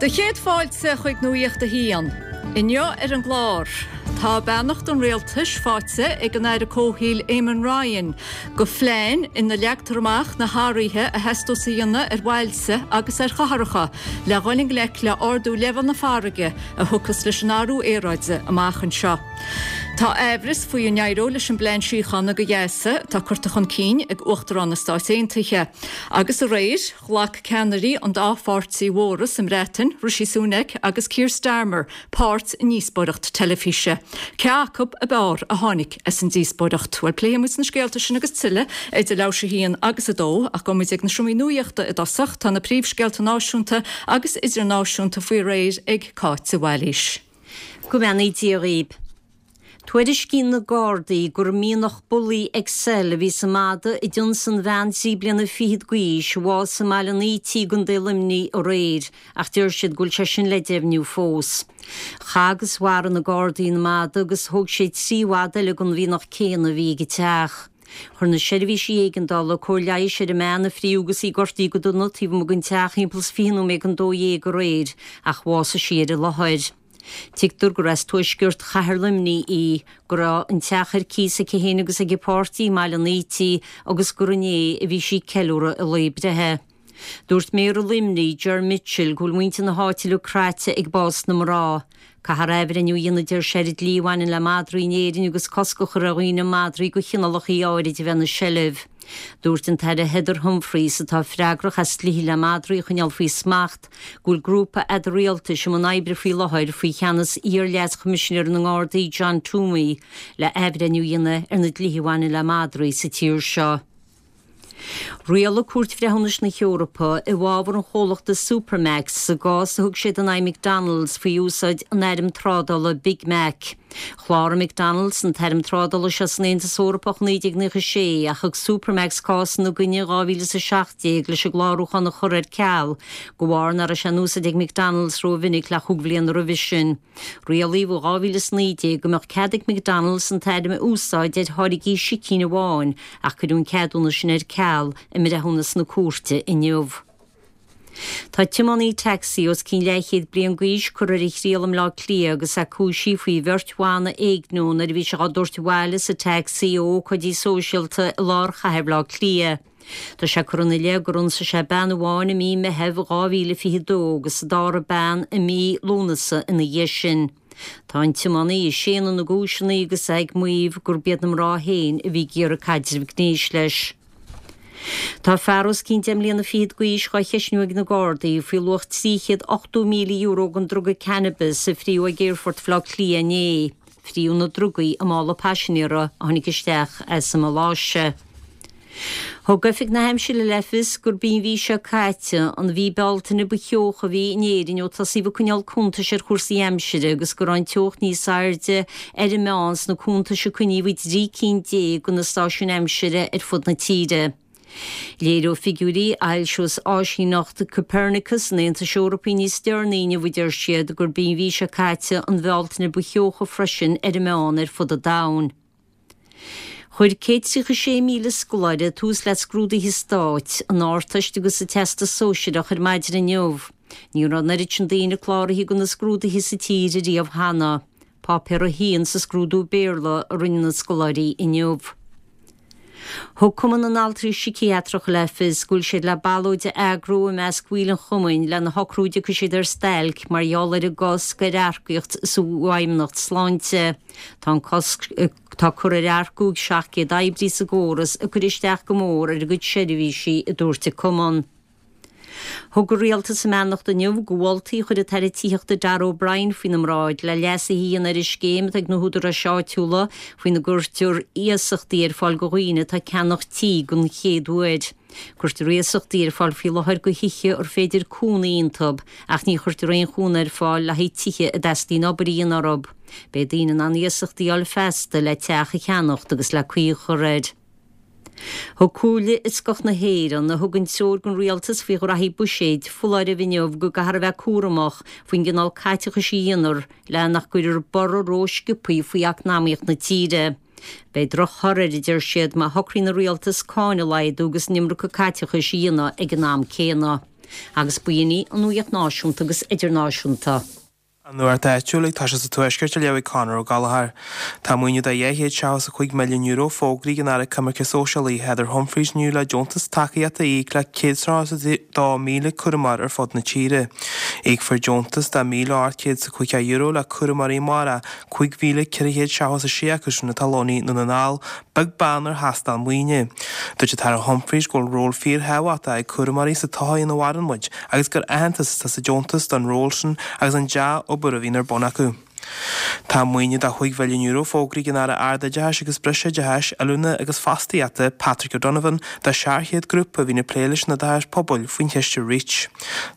Do chéad fáilte chuig Nuacht a hAon. Inniu ar an gclár, tá beannacht an Rialtais faighte ag an Aire Comhshaoil Eamon Ryan do phlean ina leagtar amach na hathruithe a theastós a dhéanamh ar bhailte agus ar chathracha le dhul i ngleic le ardú leibhéal na farraige a thiocfas leis an athrú aeráide amach anseo. Tá aimhreas faoi an éireoidh leis an bplean síochána do Ghaza atá curtha chun cinn ag Uachtarán na Stáit Aontaithe. Agus aréir, ghlac ceannairí an dá pháirtí mhóra sa mBreatain, Rishi Sunak agus Keir Starmer, páirt i ndíospóireacht teilifíse. Cé acu ab fhearr a tháinig as an díospóireacht? Bhuel, pléifidh muid na scéalta sin agus tuilleadh idir leathuair tar éis a haon agus a dó, ach gabhfaidh muid ag na seomraí nuachta i dtosach. Tá na príomhscéalta náisiúnta agus idirnáisiúnta faoi réir ag Cáit de Bhailís. Go mbeannaí Dia dhaoib. Tuairiscíonn na Gardaí gur mianach Bully XL a bhí sa mhadadh a d'ionsaigh an bhean trí bliana fichead d'aois a bhásaigh i mBaile an Ítigh i gContae Luimnigh aréir ach deir siad go bhfuil sé sin le deimhniú fós. Chaith agus mharaigh na Gardaí an madadh agus thóg sé 3 mhadadh eile den mhianach céanna a bhí ag an teach. Chuir na seirbhísí éigeandála cóir leighis ar an mbean a fríodh agus í gortaithe go dona taobh amuigh den teach thimpeall is 20 nóiméad don 12 aréir ach bhásaigh sí ar an láthair. Tuigtear gur as tuaisceart chathair Luimnigh í, go raibh an teach ar cíos aici féin agus ag a páirtí i mBaile an Ítigh agus gur inné a bhí sí ag ceiliúradh a lae breithe. Dúirt Méara Luimnigh, Ger Mitchell, go bhfuil muintir na háite uilig craite ag bás na mná. Caithfear athbhreithniú a dhéanamh, deir sé, ar an dlí a bhaineann le madraí in Éirinn agus cosc a chur ar dhaoine madraí de chineálacha áirid a bheith ina seilbh. Dúirt an tAire Heather Humphreys, atá freagrach as dlíthe le madraí a choinneáil faoi smacht, go bhfuil grúpa eadar-rialtais i mbun oibre faoi láthair faoi cheannas iar-Leas-Choimisinéir na nGardaí John Twomey le athbhreithniú a dhéanamh ar na dlíthe a bhaineann le madraí sa tír seo. Rialaigh Cúirt Bhreithiúnais na hEorpa i bhfabhar an chomhlachta Supermac's sa gcás a thug siad in aghaidh McDonald's faoi úsáid an ainm trádála Big Mac. Chláraigh McDonald's an t-ainm trádála seo san Aontas Eorpach i 1996 ach thug Supermac's cás ina gcoinne in 2017 leis an gclárúchán a chur ar ceal de bharr nach raibh sé in úsáid ag McDonald's rómhinic le chúig bhliana roimhe sin. Rialaíodh i 2019 go mbeadh cead ag McDonald's an t-ainm a úsáid ar tháirgí sicín amháin ach cuireadh an ceadúnas sin ar ceal i mbreithiúnas na cúirte inniu. Tá tiománaí tacsaí os cionn leathchéad bliain d'aois curtha ar a thriail i mBleá Cliath agus é cúisithe faoi bheirt bhan a éigniú nuair a bhí sé á dtabhairt abhaile sa tacsaí ó ócáidí sóisialta i lár chathair Bhaile Átha Cliath. Tá sé curtha ina leith gur ionsaigh sé bean amháin i mí Meitheamh 2022 agus an dara bean i mí Lúnasa ina dhiaidh sin. Tá an tiománaí ag séanadh na gcúiseanna agus é ag maíomh gurb iad na mná féin a bhí ag iarraidh caidreamh gnéis leis. Tá fear os cionn deich mbliana fichead d'aois dhá cheistniú ag na Gardaí faoi luach €380,000 den druga cannabis a fríodh ag Aerfort Bhaile Átha Cliath inné. Fríodh na drugaí i mála paisinéara a tháinig isteach as an Maláise. Thug Oifig na hAimsire le fios gurb í an mhí seo caite an mhí Bealtaine ba theocha a bhí in Éirinn ó tosaíodh ag coinneáil cuntais ar chúrsaí aimsire agus go raibh an teocht níos airde ar an meán sna cuntais a coinníodh i dtrí cinn déag de na stáisiúin aimsire ar fud na tíre. Léireoidh figiúirí a fhoilseos áisíneacht Copernicus an Aontais Eorpaigh níos deireanaí inniu, a deir siad, gurb í an mhí seo caite an Bhealtaine ba theocha freisin ar an meán ar fud an domhain. Chuir 136,000 scoláire tús le scrúduithe stáit, an Ardteist agus an Teastas Sóisearach ar maidin inniu. Ní raibh an oiread sin daoine cláraithe do na scrúduithe sa tír ariamh cheana. Páipéar 1 sa scrúdú Béarla a rinne na scoláirí inniu. Thug Cumann na nAltraí Síciatracha le fios go bhfuil siad le ballóid a eagrú i measc bhaill an chumainn lena shocrú an dtiocfaidh siad ar stailc mar gheall ar an gcosc ar earcaíocht sa bhFeidhmeannacht Sláinte. Tá an cosc atá curtha ar earcú ag 700 oibrí sa gcóras ag cur isteach go mór ar a gcuid seirbhísí, a dúirt an cumann. Thug an Rialtas a mbeannacht inniu do mholtaí a chuir an tAire Tithíochta Darragh O'Brien faoina mbráid le leasuithe a dhéanamh ar an scéim atá ag na húdaráis áitiúla faoina gcuirtear iasachtaí ar fáil do dhaoine atá ag ceannach tí den chéad uair. Cuirtear iasachtaí ar fáil faoi láthair do thithe ar féidir cónaí iontu ach ní chuirtear aon chúnamh ar fáil le haghaidh tithe a dteastaíonn obair a dhéanamh orthu. Beidh daoine in ann iasachtaí a fháil feasta le teach a cheannacht agus le caoi a chur air. Thug Comhairle Fhioscach na hÉireann, a thugann treoir don Rialtas faoi ghraithí buiséid, foláireamh inniu go gcaithfear a bheith cúramach faoin gcineál caiteachais a dhéanfar le nach gcuirfear borradh rósciobtha faoi eacnamaíocht na tíre. Beidh drochthoradh air, a deir siad, má shocraíonn an Rialtas cáin a laghdú agus an iomarca caiteachais a dhéanamh ag an am céanna. Agus b'in í an nuaíocht náisiúnta agus idirnáisiúnta. An Nuacht Áitiúil ag toiseacht sa Tuaisceart á léamh ag Conor Ó Gallchóir. Tá maoiniú de €275 milliún fógraithe ag an Aire Coimirce Sóisialaí, Heather Humphreys inniu le deontas tacaíochta a íoc le 132,000 cúramóir ar fud na tíre. Íocfar deontas de €1,850 le cúramóirí amárach, 5,476 acu sin atá lonnaithe i nDún na nGall, beag beann ar thástáil maoine. Dúirt an tAire Humphreys go bhfuil ról fíorthábhachtach ag cúramóirí sa tsochaí ina mhaireann muid agus gur aitheantas atá sa deontas don ról sin agus an dea-obair a bhíonn ar bun acu. Tá maoiniú de €5 mhilliún fógraithe ag an Aire Ardoideachais agus Breisoideachais, Oiliúna agus Fostaíochta, Patrick O'Donovan, do 700 grúpa a bhíonn ag plé leis an oideachas pobail faoin chiste Reach.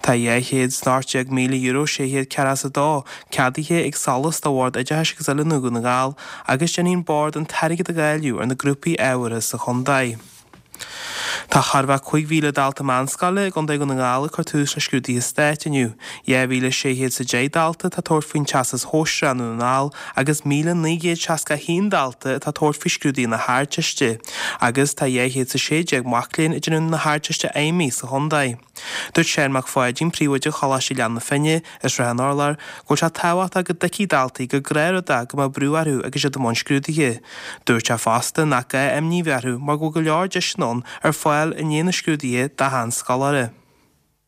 Tá €218,000 642 ceadaithe ag SOLAS do Bhord Oideachais agus Oiliúna Dhún na nGall agus déanfaidh an Bord an t-airgead a dháileadh ar na grúpaí ábhartha sa chontae. Tá chóir a bheith 5,000 dalta meánscoile i gContae Dhún na nGall ag cur tús le scrúduithe stáit inniu. 2,610 dalta atá ag tabhairt faoin Teastas Shóisearach i nDún na nGall agus 1,961 dalta atá ag tabhairt faoi scrúduithe na hArdteiste agus tá 216 mac léinn ag déanamh na hArdteiste Fheidhmí sa chontae. Dúirt Seán Mac Pháidín, Príomhoide Choláiste Ghleann na Finne, i Srath an Urláir, go bhfuil sé tábhachtach go dtuigfidh daltaí gur gnáthrud é go mbeadh brú orthu agus iad i mbun scrúduithe. Dúirt sé fosta nach gá imní a bheith orthu mar go bhfuil go leor deiseanna ann ar fáil i ndiaidh na scrúduithe d'achan scoláire.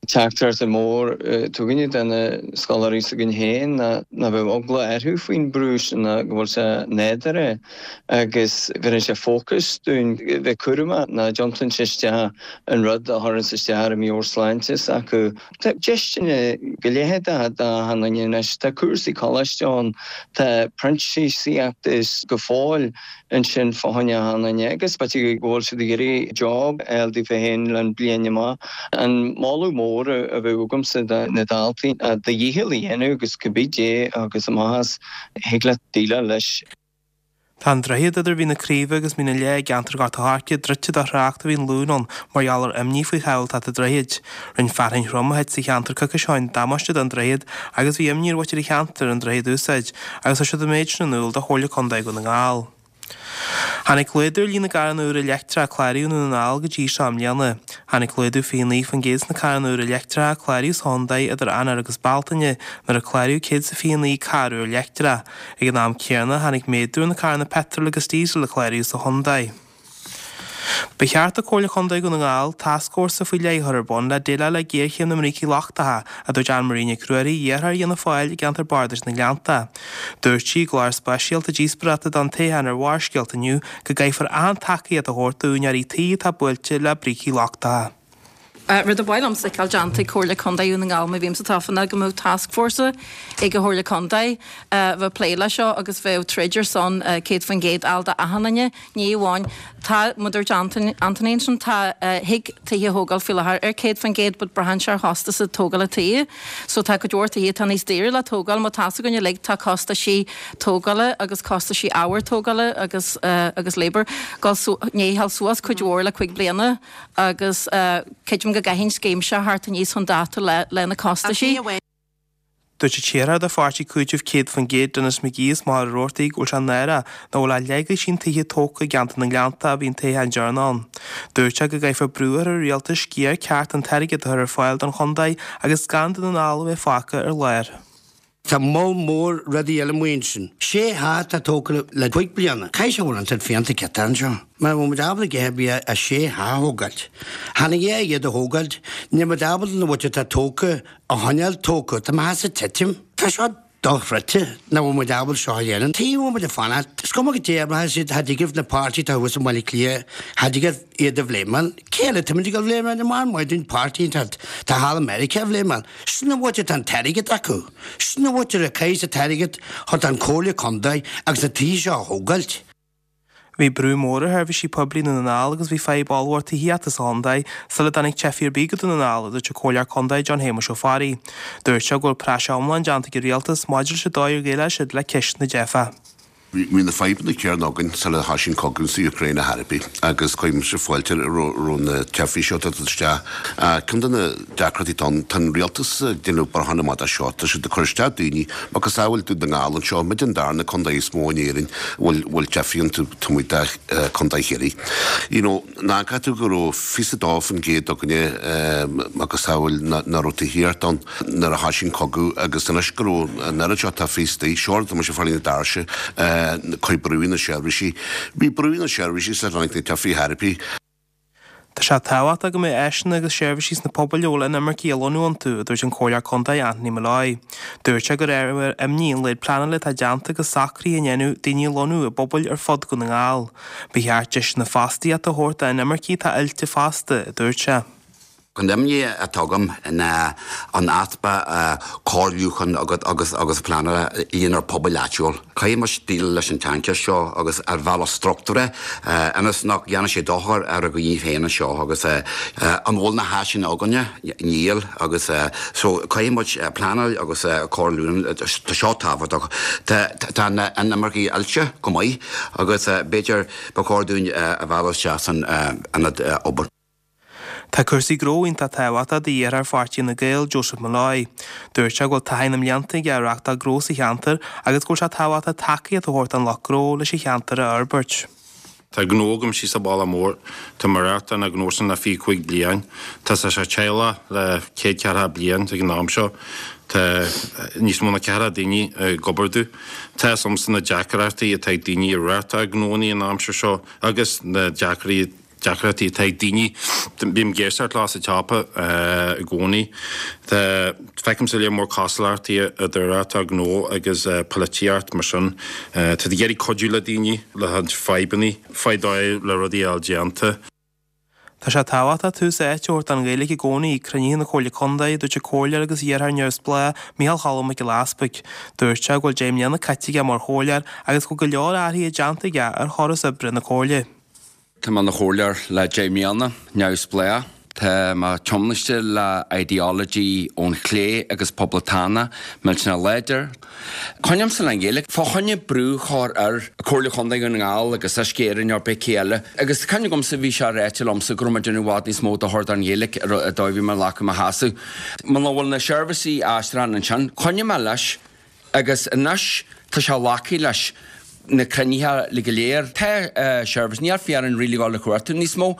Teachtaireacht mór atá againne do na scoláirí s'againn féin ná ná bheadh eagla orthu faoin brú sin ná go bhfuil sé nádúrtha agus bheireann sé fócas dúinn bheith cúramach ná dtiontaíonn sé isteach an rud a chuireanns isteach ar an meabhairshláinte s'acu. Tá deiseanna go leith d'achan duine anois. Tá cúrsaí coláiste ann, tá printíseacht is go fóill ansin fá choinne achan duine agus b'fhéidir go bhfuil siad ag iarraidh job a fháil daofa féin le bliain amach. An moladh mór a bheadh agamsa do na daltaí ná do dhícheall a dhéanamh agus cibé dé agus amach as, thig leat déileáil leis. Tá an droichead idir Mhín na Craoibhe agus Mín an Leá i gceantar Ghort an Choirce druidte do thrácht a bhí an Luan ann mar gheall ar imní faoi shábháilteacht an droichid. Rinne fearthainn throm a thit sa cheantar coicís ó shin damáiste don droichead agus bhí imní ar mhuintir an cheantair an droichead a úsáid agus chuir siad an méid sin in iúl do Chomhairle Contae Dhún na nGall. Tháinig laghdú ar líon na gcarranna úra leictreacha a cláraíodh i nDún na nGall go dtí seo i mbliana. Tháinig laghdú 29% sna carranna úra leictreacha a cláraíodh sa chontae idir Eanáir agus Bealtaine, nuair a cláraíodh 129 carr úr leictreach. Ag an am céanna, tháinig méadú ar na carranna peitril agus díosail a cláraíodh sa chontae. Ba cheart do Chomhairle Chontae Dhún na nGall tascfhórsa faoi leith a chur ar bun le déileáil le géarchéim na mbrící lochtacha, a dúirt Anne Marie Nic Ruairí, iarrthóir Fhianna Fáil i gceantar Bardais na nGleannta. Dúirt sí i gclár speisialta díospóireachta don toghchán ar Bharrscéalta inniu go gcaithfear achan tacaíocht a thabhairt d'úinéirí tí atá buailte le brící lochtacha. Rud a ba mhaith liomsa a fheiceáil déanta ag Comhairle Contae Dhún na nGall má bhímse tofa ná go mbeadh tascfhórsa ag an Chomhairle Contae a bheadh ag plé leis seo agus bheadh ag troid ar son 100% a fháil d'achan duine, ní amháin, tá, mar a dúirt Anthony ansin, tá, thig tithe a thógáil faoi láthair ar 100% but braitheann sé ar chostas tógála tithe. So tá cuid mhór tithe atá níos daoire le tógáil, mar tá's againn uilig tá costaisí tógála agus costaisí ábhair tógála agus agus labour dul su, i ndiaidh a ghabháil suas cuid mhór le cuig bliana. agus creidim go gcaithfidh an scéim seo theacht aníos chun dáta le na costaisí. Dúirt an t-iarrthóir do pháirtí Cúiteamh 100% Denis McGee as Machaire Rabhartaigh go bhfuil sé náireach nach bhfuil ach leathdhosaen tithe tógtha i gceantar na nGleannta ó bhí an toghchán deireanach ann. Dúirt sé go gcaithfear brú a chur ar an rialtas sciar ceart den t-airgead a chur ar fáil don chontae agus gan Dún na nGall a bheith fágtha ar lár. Tá moll mór rudaí eile amuigh ansin. Sé theach atá tógtha le cuig bliana. Caithfidh sé go bhfuil an trid fiánta ciotach anseo. Mara bhfuil muid ábalta a dhath ar bith ach sé theach a thógáilt. Chan a dhath iad a thógáilt, níl muid ábalta na bhfuil atá tógtha a choinneáil tógtha. Tá mo theachsa ag titim. Tá seo dochreidte nach bhfuil muid ábalta seo a dhéanamh. Tuige a bhfuil muid ag fanacht? Is cuma goidé mar tá siad, cha dtig libh na páirtithe atá thuas i mBaile Átha Cliath, cha dtig libh iad a bhléimeáil. Cé eile tá muid ag dul a bhléimeáil? An maith dúinn páirtí atá thall i Meiriceá a bhléimeáil? Sin an áit atá an t-airgead acu. Sin an áit a caithfidh an t-airgead chun an Comhairle Contae agus na tithe seo a thógáilt. Bhí brú mór ar sheirbhísí poiblí i nDún na nGall agus bhí fadhb ollmhór tithíochta sa chontae sula dtáinig teifigh ar bith go Dún na nGall, a dúirt an Comhairleoir Contae John Shéamuis Ó Fearraigh. Dúirt sé go bhfuil praiseach iomlán déanta ag an Rialtas maidir leis an dóigh ar dhéileáil siad le ceist na dteifeach. Bhí na fadhbanna céanna againn sula thoisigh an cogadh sa Úcráin ar chor ar bith agus cuirimse fáilte roimh na teifigh seo atá ag dul isteach. Ceann de na deacrachtaí atá ann, tá an rialtas ag déanamh bracháin amach as seo, tá siad ag cur isteach daoine, macasamhail Dún na nGall anseo, muid an darna contae is mó in Éirinn a bhfuil teifigh iontu, taobh amuigh de Chontae Chiarraí. You know, Nach gcaithfidh tú go raibh 22% againne macasamhail nach raibh tithíocht ann nuair a thoisigh an cogadh agus anois go raibh an oiread seo teifigh istigh, seo tá mise ag fáil na doirse, cuir brú ar na seirbhísí. Bhí brú ar na seirbhísí sula dtáinig na teifigh ar bith. Tá sé tábhachtach go mbeadh áiseanna agus seirbhísí sna pobail a bhfuil inimircigh á lonnú iontu, a dúirt an Comhairleoir Contae Anthony Molloy. Dúirt sé gur ábhar imní an laghad pleanála atá déanta agus socruithe a ndéanadh daoine a lonnú i bpobail ar fud Dhún na nGall. Ba cheart deiseanna fostaíochta a thabhairt d'inimircigh atá oilte fosta, a dúirt sé. An imní atá agam ná an easpa comhairliúcháin agus agus pleanála lenár pobail áitiúil. Caithfidh muid déileáil leis an tsaincheist seo agus ar bhealach struchtúrtha ionas nach dhéanfaidh sé dochar ar ár ndaoine féin anseo agus an bhfuil na háiseanna againne? Níl agus so caithfidh muid pleanáil agus comhairliúchán, tá seo tábhachtach. Tá na inimircigh oilte go maith Agus b'fhéidir ba chóir dúinn a mhealladh isteach san ionad obair. Tá cúrsaí gnó iontach tábhachtach do iarrthóir pháirtí Fhine Gael, Joseph Molloy. Dúirt sé go bhfuil taithí na mblianta aige ag reáchtáil gnó sa cheantar agus go bhfuil sé tábhachtach tacaíocht a thabhairt don lucht gnó leis an cheantar a fhorbairt. Tá gnó agam síos sa Bhaile Mór. Tá mé ag reáchtáil an gnó sin le 25 bliain. Tá sé sa teaghlach le céad ceathracha bliain ag an am seo. Tá níos mó ná ceathracha daoine ag obair domh. Tá fhios agamsa na deacrachtaí atá ag daoine ag reáchtáil gnóanna an aimsir seo agus na deacrachtaí atá ag daoine. Bím ag éisteacht leo sa tsiopa i gcónaí. Tá, feicimse lear mór cosúlachtaí idir reáchtáil gnó agus polaitíocht mar sin. Tá tú ag iarraidh cuidiú le daoine le fadhbanna, fáil dóigh le rudaí a fháil déanta. Tá sé tábhachtach tús áite a thabhairt don Ghaeilge i gcónaí ag cruinnithe na Comhairle Contae, a dúirt an Comhairleoir agus iarrthóir neamhspleách Micheál Cholm Mac Giolla Easpaig. Dúirt sé go bhfuil 10 mbliana caite aige mar chomhairleoir agus go bhfuil go leor athruithe déanta aige ar chóras oibre na Comhairle. Tá mé ina chomhairleoir le 10 mbliana, neamhspleách. Tá mé tiomnaiste le ideology ón chlé agus poblachtánach, millteanach láidir. Coinnímse le an Ghaeilge. Fá choinne brú a chur ar Comhairle Chontae Dhún na nGall agus Uisce Éireann nó pé cé eile. Agus cuimhne agamsa bhí sé ráite liomsa go raibh mé ag déanamh i bhfad níos mó dochar don Ghaeilge an dóigh a bhí mé ag glacadh mo sheasamh. Muna bhfuil na seirbhísí aistriúcháin ansin, choinnigh mé leis agus anois tá sé glactha leis na cruinnithe go léir. Tá seirbhís, níl fear really ag dul a chuartú níos mó.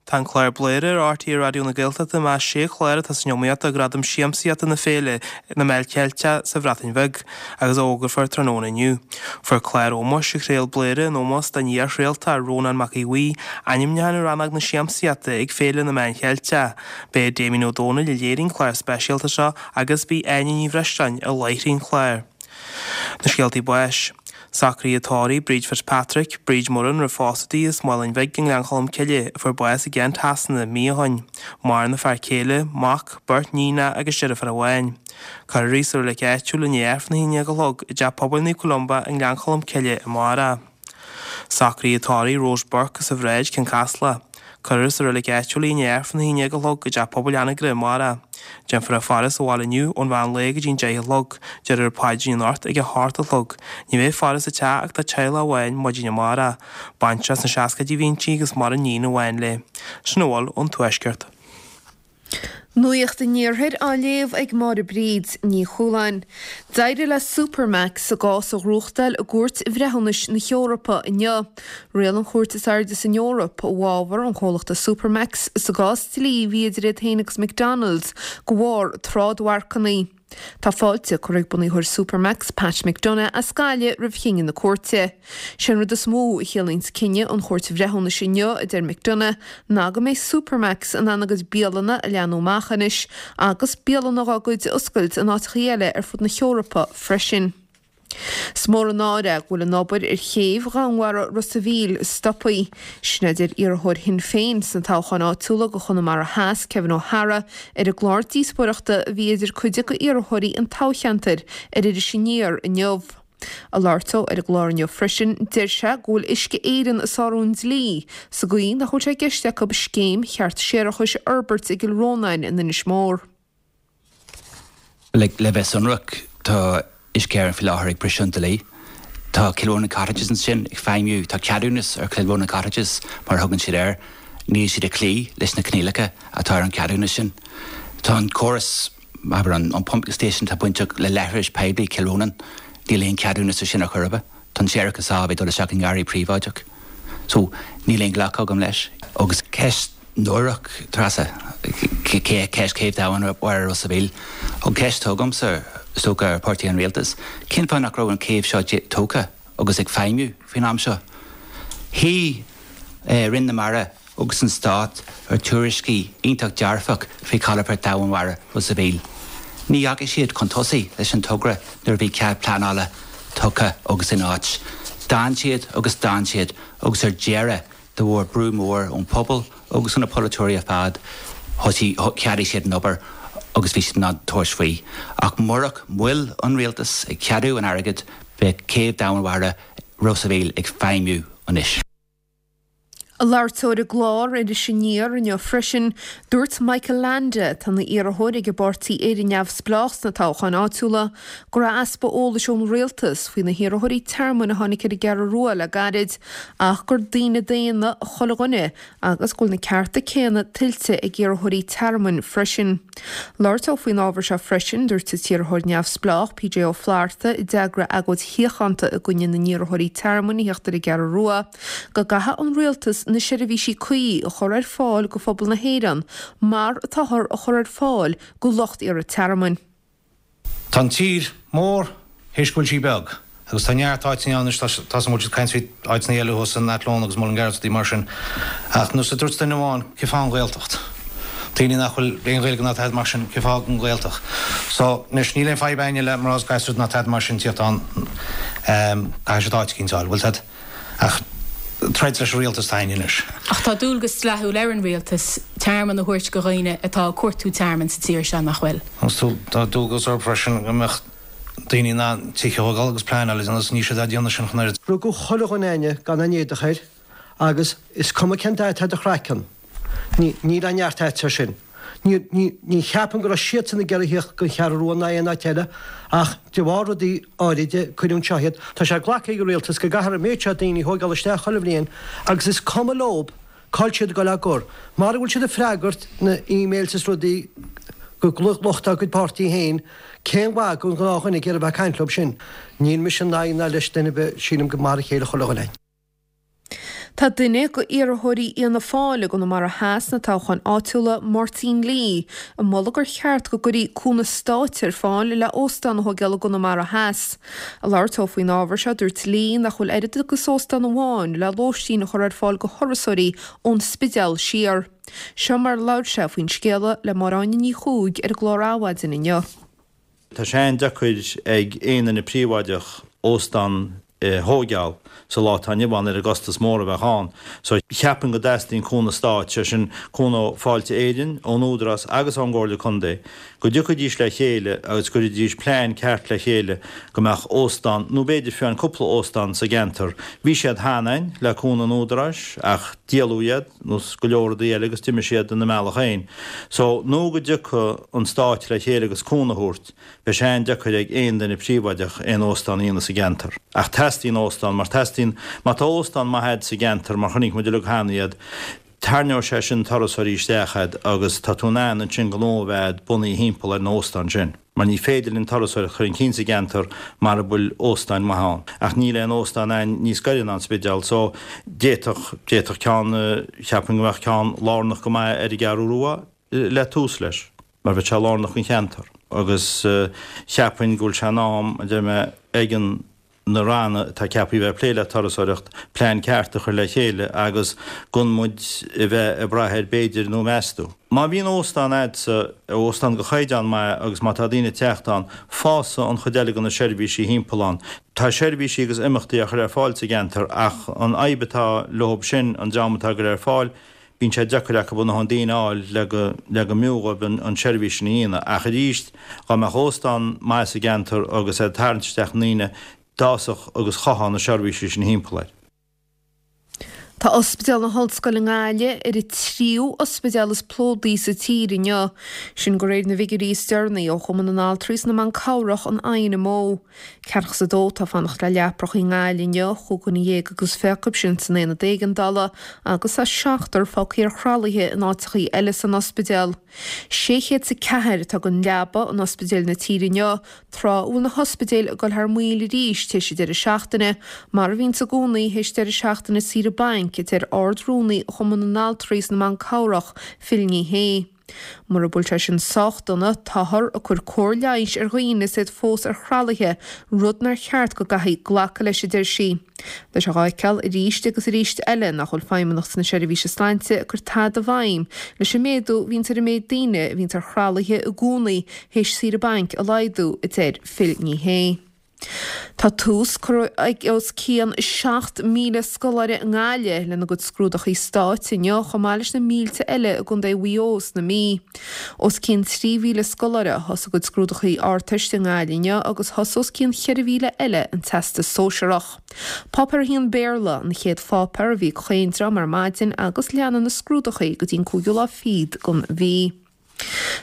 Tá an clár Bladhaire ar RTÉ Raidió na Gaeltachta i measc sé chlár atá san iomaíocht do Ghradam Siamsaíochta na Féile na Meán Ceilteach sa Bhreatain Bheag agus a fhógrófar tráthnóna inniu. Fuair clár ómóis a chraol Bladhaire in ómós don iar-chraoltóir Rónán Mac Aodha Bhuí ainmniúchán i rannóg na siamsaíochta ag Féile na Meán Cheilteach. B'é Damien Ó Dónaill a léirigh an clár speisialta seo agus b'í Áine Ní Bhreisleáin a láithrigh an clár. Na scéaltaí báis. Socruithe tórraimh Bríd Fitzpatrick, Bríd Murrin roimh phósadh di as Maoláin Bhig i nGleann Cholm Cille, a fuair bás i gCeann Trasna mí ó shoin. Maireann a fear céile, mac, beirt níonacha agus deirfiúr amháin. Cuirfear í sa reilig áitiúil i ndiaidh Aifreann a 11 a chlog i dTeach Pobail Naomh Columba i nGleann Cholm Cille amárach. Socruithe tórraimh Rose Burke as an Bhráid, Cionn Caslach. Cuirfear sa reilig áitiúil í i ndiaidh Aifreann a 11 a chlog i dTeach Pobail Anagaire amárach. Déanfar í a faire sa bhaile inniu ón mheán lae go dtí an 10 a chlog. Déarfar paidrín anocht ag a hocht a chlog. Ní bheidh faire sa teach ach dá teaghlach amháin maidin amárach. Baintreach sna seascaidí a bhí inti agus maireann níon amháin léi. Sin a bhfuil ón Tuaisceart. Nuacht an Iarthair á léamh ag Máire Bríd Ní Chualáin. D'éirigh le Supermacs a gcás a ghnóthachtáil i gCúirt Bhreithiúnais na hEorpa inniu. Riail an chúirt is airde san Eoraip i bhfabhar an chomhlachta Supermacs sa gcás dlí a bhí idir iad féin agus McDonald's de bharr trádmharcanna. Tá fáilte curtha ag bunaitheoir Supermacs, Pat McDonagh, as Gaillimh roimh chinneadh na cúirte. Sé an rud is mó a chiallaíonns cinneadh an Chúirt Bhreithiúnais inniu, a deir McDonagh, ná go mbeidh Supermacs in ann a gcuid bialanna a leathnú amach anois agus bialanna dhá gcuid a oscailt in áiteachaí eile ar fud na hEorpa freisin. Is mór an náire go bhfuil an obair ar chéibh dhomhainmhara Ros a' Mhíl stoptha. Sin a deir iarrthóir Shinn Féin sna toghcháin áitiúla do Chonamara Theas, Kevin O'Hara, ar an gclár díospóireachta a bhí idir cuid de iarrthóirí an toghcheantair ar Iris Aniar inniu. Ag labhairt dó ar an gclár inniu freisin, deir sé go bhfuil Uisce Éireann ag sárú an dlí sa gcaoi nach bhfuil sé i gceist acu scéim cheart séarachais a fhorbairt i gCill Rónáin in Inis Mór. Le bheith sonrach, tá Uisce Éireann faoi láthair ag briseadh an dlí. Tá Kilronan Cottages ansin ag feidhmiú, tá ceadúnas ar Kilronan Cottages mar a thugann siad air, níl siad ag cloí leis na coinníollacha atá ar an cheadúnas sin. Tá an córas, abair an pumping station atá bainteach le leithris poiblí Kilronan, níl aon cheadúnas ar sin ar chor ar bith. Tá an séarachas á bheith ag dul isteach i ngarraí príobháideach. So, níl aon ghlacadh agam leis. Agus ceist náireach, Treasa, ceist Chéibh Domhain Mhara Ros a' Mhíl. An cheist atá agamsa, is dócha, ar pháirtí an rialtais, cén fáth nach raibh an chéibh seo tógtha agus ag feidhmiú faoin am seo? Shuigh Roinn na Mara agus an Stát ar tuairiscí iontach dearfach faoi chalafort Domhain Mhara Ros a' Mhíl. Ní dheachaigh siad chun tosaigh leis an togra nuair a bhí cead pleanála tugtha agus in áit. D'fhan siad agus d'fhan siad agus ar deireadh De bharr brú mór ón phobal agus ó na polaiteoirí ar fad, thosaigh, cheadaigh siad an obair agus bhí siad in ann tabhairt faoi. Ach murach moill an rialtais ag ceadú an airgid, bheadh Céibh Domhain Mhara Ros a' Mhíl ag feidhmiú anois. Ag labhairt dó ar an gclár Iris Aniar inniu freisin, dúirt Michael Leainde, atá ina iarrthóir ag an bpáirtí Éire Neamhspleách sna toghcháin áitiúla, go raibh easpa eolais ón rialtas faoi na hiarrthóirí tearmainn a tháinig ar an gCeathrú Rua le gairid ach gur daoine daonna chuile dhuine agus go bhfuil na cearta céanna tuillte ag iarrthóirí tearmainn freisin. Labhairt dó faoin ábhar seo freisin, dúirt an t-iarrthóir neamhspleách, PJ Ó Flatharta, a d'eagraigh agóid shíochánta i gcoinne na n-iarrthóirí tearmainn a theacht ar an gCeathrú Rua, go gcaithfidh an rialtas na seirbhísí cuí a chur ar fáil go phobal na hÉireann mar atáthar a chur ar fáil go lucht iarraidh tearmainn. Tá an tír mór théis go bhfuil sí beag agus tá neart áiteanna ann anois, tá a fhios agam go bhfuil siad ag caint faoi áiteanna eile thuas in Athlone agus Mullingar agus rudaí mar sin ach nós a dúirt duine amháin, cén fáth an Ghaeltacht? Daoine nach bhfuil aon Ghaeilge ná tada mar sin, cén fáth an Ghaeltacht? So, anois níl aon fadhb a'inne le mná is gasúir ná tada mar sin tíocht ann, caithfidh siad áit eicínt a fháil, bhfuil 'fhios a'd? Ach troid leis an rialtas atá a'inne anois. Ach tá dualgas dleathúil ar an rialtas tearmann a thabhairt go dhaoine atá ag cuartú tearmainn sa tír seo, nach bhfuil? Agus tá dualgas orthu freisin go mbeadh daoine in ann tithe a thógáil agus pleanáil a dhéanamh agus níl siad á déanamh sin ach an oiread. Rugadh chuile dhuine a'inne gan aon éadach air agus is cuma cén dath atá ar do chraiceann, ní, níl aon neart a'dsa air sin. Ní, ní, ní cheapaim go raibh siadsan ag iarraidh thíocht gon Cheathrú Rua ná aon áit eile ach de bharr rudaí áiride cuireadh anseo iad. Tá sé glactha ag an rialtas go gcaithfear an méid seo daoine a thóigeáil isteach chuile bhliain agus is cuma leob cá'il siad ag goil á gcur. Mara bhfuil siad ag freagairt na emails is rudaí go lucht dá gcuid páirtí féin, cén mhaith gon ghnáthdhuine ag iarraidh bheith ag caint leob sin? Níl mise in aghaidh ná leis duine ar bith, sílim gur mar a chéile chuile dhuine. Tá duine de iarrthóirí Fhianna Fáil i gConamara Theas sna toghcháin áitiúla, Máirtín Lee, ag moladh gur cheart go gcuirfí cúnamh stáit ar fáil le óstán a thóigeáil i gConamara Theas. Ag labhairt dó faoin ábhar seo, dúirt Lee nach bhfuil oiread agus óstán amháin le lóistín a chur ar fáil go thurasóirí ón Spidéal siar. Seo mar a labhair sé faoin scéala le Máire Áine Ní Chuaig ar an gclár Adhmhaidin inniu. Tá sé an-deacair ag aon duine príobháideach óstán a thóigeáil sa lá atá inniu ann ar an gcostas mór a bheadh ann. So cheapfainn go dteastaíonn cúnamh stáit, sé sin cúnamh ó Fáilte Éireann, ón Údarás agus ón gComhairle Contae, go dtiocfaidís le chéile agus go gcuirfidís plean ceart le chéile go mbeadh óstán, nó b'fhéidir fiú amháin cúpla óstán sa gceantar. Bhí siad cheana ann le cúnamh an Údaráis ach díoladh iad, nós go leor rudaí eile agus d'imigh siad ina mbealach féin. So nó go dtiocfaidh an stáit le chéile agus cúnamh a thabhairt, Beidh sé an-deacair ag aon duine príobháideach aon óstán a dhéanamh sa gceantar. Ach teastaíonn óstán, mar teastaíonn, má tá óstán maith a'd sa gceantar, mar chonaic muid uilig cheana iad, tarraingeoidh sé sin turasóirí isteach a'd agus tá tú in ann ansin gnó a bheith a'd bunaithe thimpeall ar an óstán sin. Mar ní féidir linn turasóireacht a chur chun cinn sa gceantar mara bhfuil óstáin maithe ann. Ach níl aon óstán a'inn níos gaire ná an Spidéal so d'fhéadfadh, d'fhéadfadh ceann, cheapfainn go mbeadh ceann lárnach go maith ar an gCeathrú Rua le tús leis. mar bheadh sé lárnach don cheantar agus cheapfainn go bhfuil sé in am, a deir mé, ag an na ranna atá ceaptha a bheith ag plé le turasóireacht, plean ceart a chur le chéile agus gan muid a bheith ag brath ar b'fhéidir nó meas tú. Má bhíonn óstán a'dsa, óstán de chaighdeán maith agus má tá daoine ag teacht ann, fásfaidh an chuid eile de na seirbhísí thimpeall ann. Tá seirbhísí agus imeachtaí á chur ar fáil sa gceantar ach an fhadhb atá leob sin, an dream atá á gcur ar fáil, Bíonn sé deacair acu a ndóthain daoine a fháil le go le go mb'fhiú dhóibh an tseirbhís sin a dhéanamh. Ach arís, dhá mbeadh óstán maith sa gceantar agus é ag tarraingt isteach na ndaoine, d'fhásfadh agus chothódh na seirbhísí sin thimpeall air. Tá Ospidéal na hOllscoile i nGaillimh ar an tríú ospidéal is plódaí sa tír inniu. Sin de réir na bhfigiúirí is deireanaí ó Chumann na nAltraí is na mBan Cabhrach, an INMO. Ceathracha is a dó atá ag fanacht le leapracha i nGaillimh inniu, chúig dhuine dhéag agus fiche acu sin san aonad éigeandála agus tá seachtar fágtha ar thralaithe in áiteachaí eile san ospidéal. 604 atá gan leaba in ospidéil na tíre inniu, Tráth a bhfuil na hospidéil ag dul thar maoil arís théis an deireadh seachtaine, mar a bhíonns i gcónaí théis deireadh seachtaine saoire bainc, a deir Ard-Rúnaí Chumann na nAltraí is na mBan Cabhrach, Phil Ní Sheaghdha. Mura bhfuil sé sin sách dona, táthar ag cur cóir leighis ar dhaoine is iad fós ar thralaithe, rud nár cheart go gcaithfí glacadh leis, a deir sí. Tá sé dhá fheiceáil arís agus arís eile nach bhfuil Feidhmeannacht na Seirbhíse Sláinte ag cur tada i bhfeidhm leis an méadú a bhíonns ar an méid daoine a bhíonns ar thralaithe i gcónaí théis saoire bainc a laghdú, a deir Phil Ní Sheaghdha. Tá tús curtha ag os cionn 7,000 scoláire i nGaillimh lena gcuid scrúdachaí stáit inniu chomh maith leis na mílte eile i gContae Mhaigh Eo is na Mí. Os cionn 3,000 scoláire a thosaigh a gcuid scrúdachaí Ardteiste i nGaillimh inniu agus thosaigh os cionn 4,000 eile an Teastas Sóisearach. Páipéar 1 Béarla an chéad pháipéar a bhí ag chaon dream ar maidin agus leanfaidh na scrúdachaí go dtí an cúigiú lá fichead den mhí.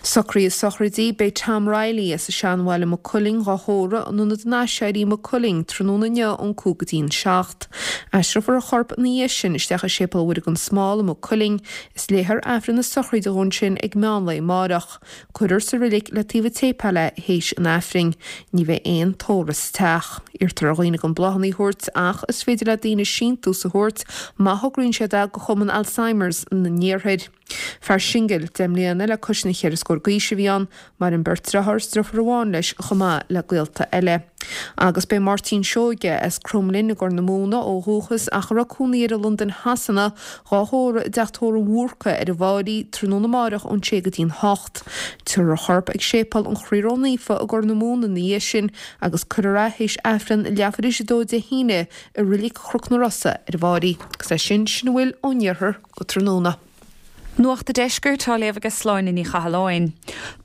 Socruithe sochraide, Beidh Tom Reilly as an Seanbhaile Maigh Cuilinn dhá thórramh in Ionad an Aiséirí Maigh Cuilinn tráthnóna inniu ón 5 go dtí an 7. Aistreofar a chorp ina dhiaidh sin isteach i Séipéal Mhuire gan Smál i Maigh Cuilinn is léifear Aifreann na sochraide dhó ansin ag meán lae amáireach. Cuirfear sa roilig le taobh an tséipéil é théis an Aifrinn. Ní bheidh aon tórramh sa teach. Iarrtar ar dhaoine gan bláthanna a thabhairt ach is féidir le daoine síntiús a thabhairt má thograíonn siad é go Chumann Alzheimer's na nIarthair. Fear singil, 10 mbliana le cois na cheithre scór d'aois a bhí ann. Maireann beirt deartháir is deirfiúr amháin leis chomh maith le gaolta eile. Agus b'é Máirtín Seoige as Cromghlinn i gCorr na Móna ó dhúchas ach a raibh cónaí air i Londain Shasana dhá thórramh i dteach tórraimh Bhúrca ar an bhFairche tráthnóna amáireach ón sé go dtí'n hocht. Tabharfar a chorp ag Séipéal an Chroí Ró-Naofa i gCorr na Móna ina dhiaidh sin agus cuirfear é théis Aifreann leathuair théis a dó Dé hAoine i Reilig Chnoc na Rosa ar an bhFairche. Agus leis sin, sin a bhfuil ón iarthar go tráthnóna. Nuacht a' Deiscirt á léamh aige Sláine Ní Chathalláin.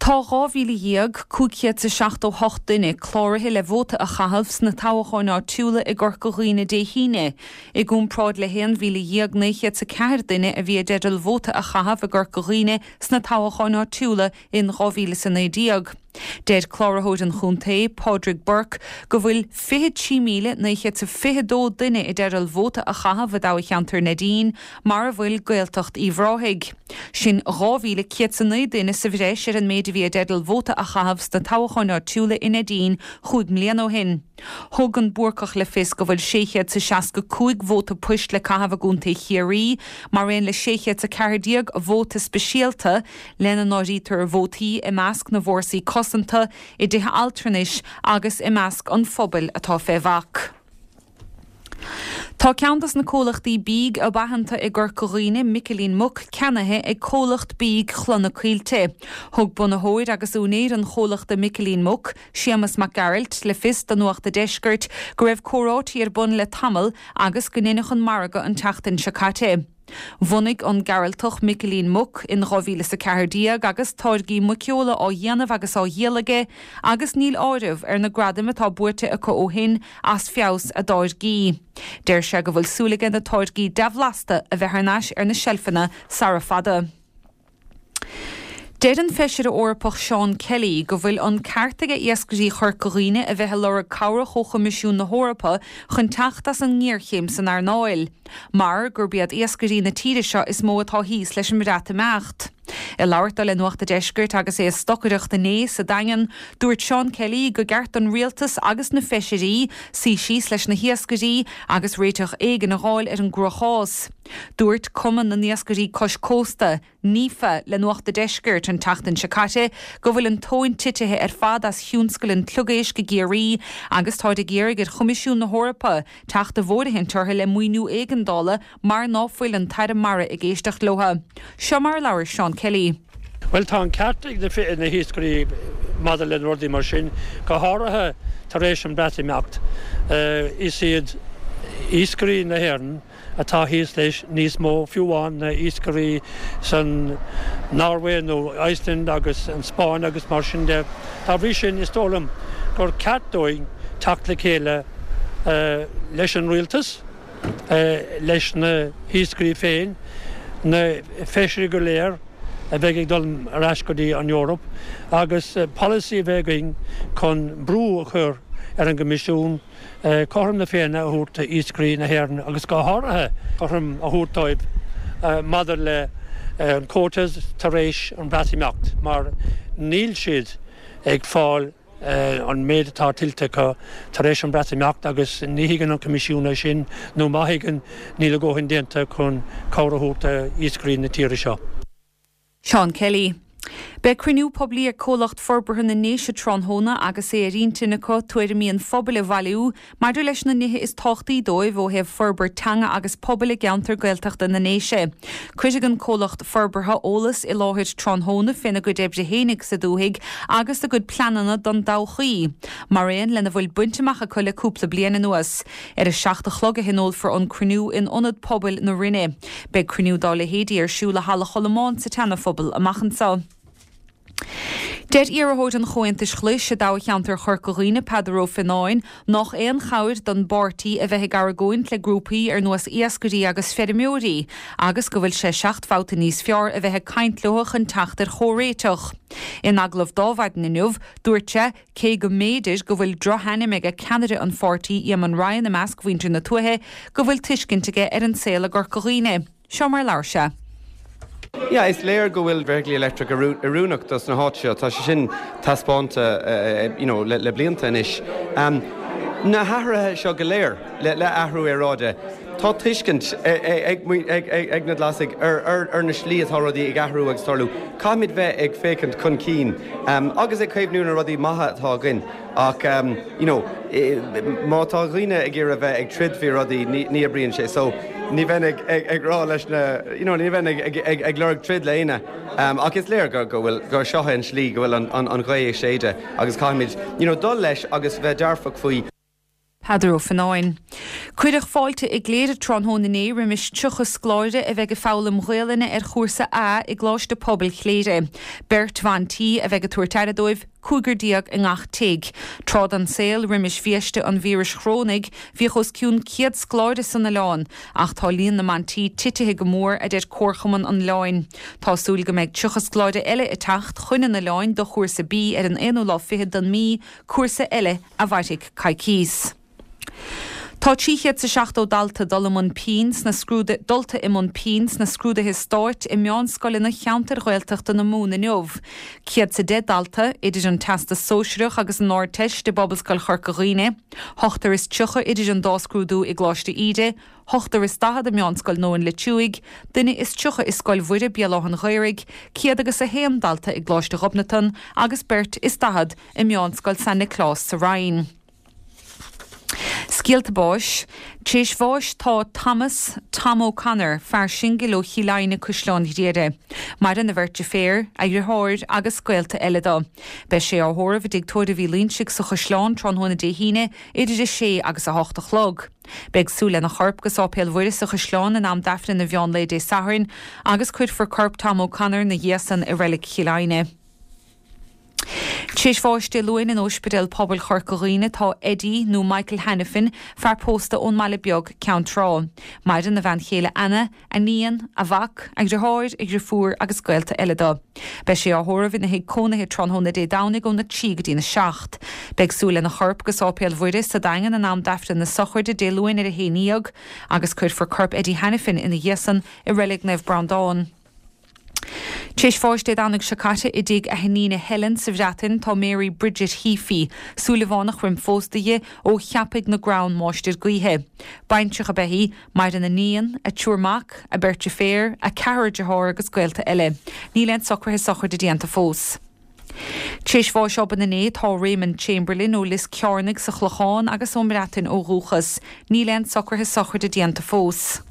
Tá 12,578 duine cláraithe le vóta a chaitheamh sna toghcháin áitiúla i gCorca Dhuibhne Dé hAoine, i gcomparáid le 11,904 duine a bhí i dteideal vóta a chaitheamh i gCorca Dhuibhne sna toghcháin áitiúla in 2019. Deir Cláraitheoir an Chontae, Pádraig Burke, go bhfuil 23,922 duine i dteideal vóta a chaitheamh i dtoghcheantar Neidín, mar a bhfuil Gaeltacht Uíbh Ráthaigh. Sin 2,109 duine sa bhreis ar an méid a bhí i dteideal vóta a chaitheamh sna toghcháin áitiúla i Neidín chúig mbliana ó shin. Thug an Búrcach le fios go bhfuil 665 vóta poist le caitheamh i gContae Chiarraí, mar aon le 614 vóta speisialta, lena n-áirítear vótaí i measc na bhfórsaí cosanta, i dtithe altranais agus i measc an phobail atá fé bhac. Tá ceann dos na comhlachtaí bídh ab aitheanta i gCorca Dhuibhne, Micilín Muc, ceannaithe ag comhlacht bídh Chloich na Coillte. Thug bunaitheoir agus úinéir an chomhlachta Micilín Muc, Séamus Mac Gearailt, le fios do Nuacht a' Deiscirt go raibh comhráití ar bun le tamall agus go ndeineadh an margadh an tseachtain seo caite. Bhunaigh an Gearaltach Micilín Muc in 2014 agus táirgí muiceola á dhéanamh agus á dhíol aige agus níl áireamh ar na gradaim atá buaite acu ó shin as feabhas a dtáirgí. Deir sé go bhfuil súil aige na táirgí dea-bhlasta a bheith thar n-ais ar na seilfeanna sara fada. Deir an Feisire Eorpach Seán Kelly go bhfuil an ceart aige iascairí Chorca Dhuibhne a bheith ag lorg cabhrach ó Choimisiún na hEorpa chun teacht as an ngéarchéim san earnáil, mar gurb iad iascairí na tíre seo is mó atá thíos leis an mBreatimeacht. Ag labhairt dó le Nuacht a' Deiscirt agus é ag stocaireacht inné sa Daingean, dúirt Seán Kelly go gceart don rialtas agus na feisirí suí síos leis na hiascairí agus réiteach éigin a dh'fháil ar an gcruachás. Dúirt Cumann na nIascairí Cois Cósta, NIFA, le Nuacht a' Deiscirt an tseachtain seo caite go bhfuil an tóin titithe ar fad as thionscal an tsliogaisc i gCiarraí agus táid ag iarraidh ar Choimisiún na hEorpa teacht i bhfóirithint orthu le maoiniú éigeandála mar ná fuil an tAire Mara ag éisteacht leo. Seo mar a labhair Seán Kelly. Bhuel, tá an ceart ag na hiascairí maidir le rudaí mar sin, go háirithe tar éis an Bhreatimeacht. Is iad iascairí na hÉireann atá thíos leis níos mó fiú amháin na iascairí san Norway nó Iceland agus an Spáinn agus mar sin de. Dá bhrí sin, is dóigh liom gur ceart dúinn teacht le chéile leis an rialtas. leis na hiascairí féin, na feisirí go léir a bheidh ag dul ar ais go dtí an Eoraip agus polasaí a bheith againn chun brú a chur ar an gCoimisiún cothrom na Féinne a thabhairt d'iascairí na hÉireann agus go háirithe cothrom a thabhairt dóibh maidir le an quotas tar éis an Bhreatimeacht mar níl siad ag fáil an méid atá tuillte acu tar éis an Bhreatimeacht agus ní thuigeann an Coimisiún é sin nó má thuigeann níl a dhóthain déanta chun cabhair a thabhairt d'iascairí na tíre seo. Seán Kelly. Beidh cruinniú poiblí ag Comhlacht Forbartha na nDéise tráthnóna agus é ar intinn acu tuairimí an phobail a bhailiú maidir leis na nithe is tábhachtaí dóibh ó thaobh forbairt teanga agus pobail i gceantar Gaeltachta na nDéise. Cuirfidh an comhlacht forbartha eolas i láthair tráthnóna féna gcuid oibre fhéinig sa dúthaigh agus a gcuid pleananna don dtodhchaí, mar aon lena bhfuil bainte amach acu le cúpla bliain anuas. Ar a 7 a chlog a thionólfar an cruinniú in Ionad Pobail na Rinne. Beidh cruinniú dá leithéidí ar siúl i Halla Cholmáin sa tSeana-Phobal amach anseo. Deir iarrthóir an Chomhaontais Ghlais i dtoghcheantar Chorca Dhuibhne, Peadar Ó Fionnáin, nách aon chabhair don bpáirtí a bheith ag argóint le grúpaí ar nós iascairí agus feirmeoirí agus go bhfuil sé seacht mbabhta níos fearr a bheith ag caint leo chun teacht ar chomhréiteach. In agallamh dó Adhmhaidin inniu, dúirt sé, cé go mb'fhéidir go bhfuil drochainm aige ceannaire an pháirtí, Éamon Ryan i measc mhuintir na tuaithe, go bhfuil tuiscint aige ar an saol i gCorca Dhuibhne. Seo mar a labhair sé. Yeah, is léir go bhfuil feithiclí leictreach oiriúnach dos na háit seo. Tá sé sin taispeánta you know le blianta anois. Na hathruithe seo go léir le athrú aeráide, tá tuiscint ag na Glasaigh ar na slí atá rudaí ag athrú agus tarlú. Caithfimid bheith ag féachaint chun cinn agus ag caomhnú na rudaí maithe atá againn. Ach you know má tá dhaoine ag iarraidh bheith ag troid faoi rudaí ní ní oibríonn sé. So ní bheinn ag ag ag rá leis na you know ní bheinn ag ag ag ag lorg troid le éinne. Ach is léir go go bhfuil gur seo é an slí go bhfuil an an an ghaoth ag séideadh agus caithfimid you know dul leis agus bheith dearfach faoi. Peadar Ó Fionnáin. Cuireadh fáilte i gCléire tráthnóna inné roimis 30 scoláire a bheidh ag foghlaim Gaolainne ar chúrsa A i gColáiste Pobail Chléire. Beirt bhan tí a bheidh ag tabhairt aire dóibh, cúigear déag i ngach tigh. Tráth den saol, roimis bhiaiste an víris chorónaigh, bhíodh os cionn 100 scoláire san oileán, ach tá líon na mban tí titithe go mór, a deir Comharchumann an Oileáin. Tá súil go mbeidh 30 scoláire eile ag teacht chun an oileáin do chúrsa B ar an aonú lá fichead den mí, cúrsa eile a mhairfidh coicíos. Tá 370 dalta dul i mbun pinn sna scrúduithe dulta i mbun pinn sna scrúduithe stáit i meánscoileanna cheantair Ghaeltachta na Mumhan inniu. 110 dalta idir an Teastas Sóisearach agus an Ardteist i bPobalscoil Chorca Dhuibhne, ochtar is 30 idir an dá scrúdú i gColáiste Íde, ochtar is 40 i Meánscoil Nóin Loitsiúigh, duine is 30 i Scoil Mhuire, Béal Átha'n Ghaorthaidh, 101 dalta i gColáiste Ghobnatan agus beirt is 40 i Meánscoil San Nioclás sa Rinn. Scéalta báis. Tar éis bháis tá Thomas Tom O'Connor, fear singil ó Chill Aidhne, Caisleán Ghriaire. Maireann a bheirt deirféar, a dheartháir agus gaolta eile dó. Beidh sé á thórramh i dTigh Tórraimh Uí Loingsigh sa Chaisleán tráthnóna Dé hAoine idir 6 agus 8 a chlog. Beidh súil lena chorp go Sáipéal Mhuire sa Chaisleán in am d'Aifreann an mheán lae Dé Sathairn agus cuirfear corp Tom O'Connor 'na dhiaidh san i Reilig Chill Aidhne. Tar éis bháis Dé Luain in Ospidéal Pobail Chorca Dhuibhne tá Eddie nó Michael Hanafin, fear pósta ón mBaile Beag, Ceann Trá. Maireann a bhean chéile Anna, a níon, a mhac, a dhriotháir, a dhriofúr agus gaolta eile dó. Beidh sé á thórramh ina thigh cónaithe tráthnóna Dé Domhnaigh óna 3 go dtína 7. Beidh súil lena chorp go Sáipéal Mhuire sa Daingean in am d'Aifreann na sochraide Dé Luain ar a haon dhéag agus cuirfear corp Eddie Hanafin ina dhiaidh san i Reilig Naomh Breandán. Tar éis bháis Dé Domhnaigh seo caite i dtigh a hiníne Helen sa Bhreatain tá Mary Bridget Heaphy, Súilleabhánach roim phósta di, ó Cheapaigh na gCrann, Máistir Gaoithe. Baintreach ab ea í, maireann a níon, a triúr mac, a beirt deirféar, a ceathrar dearthár agus gaolta eile. Níl aon socruithe sochraide déanta fós. Tar éis bháis obann inné tá Raymond Chamberlain ó Lios Cearnaigh sa Chlochán agus ón mBreatain ó dhúchas. Níl aon socruithe sochraide déanta fós.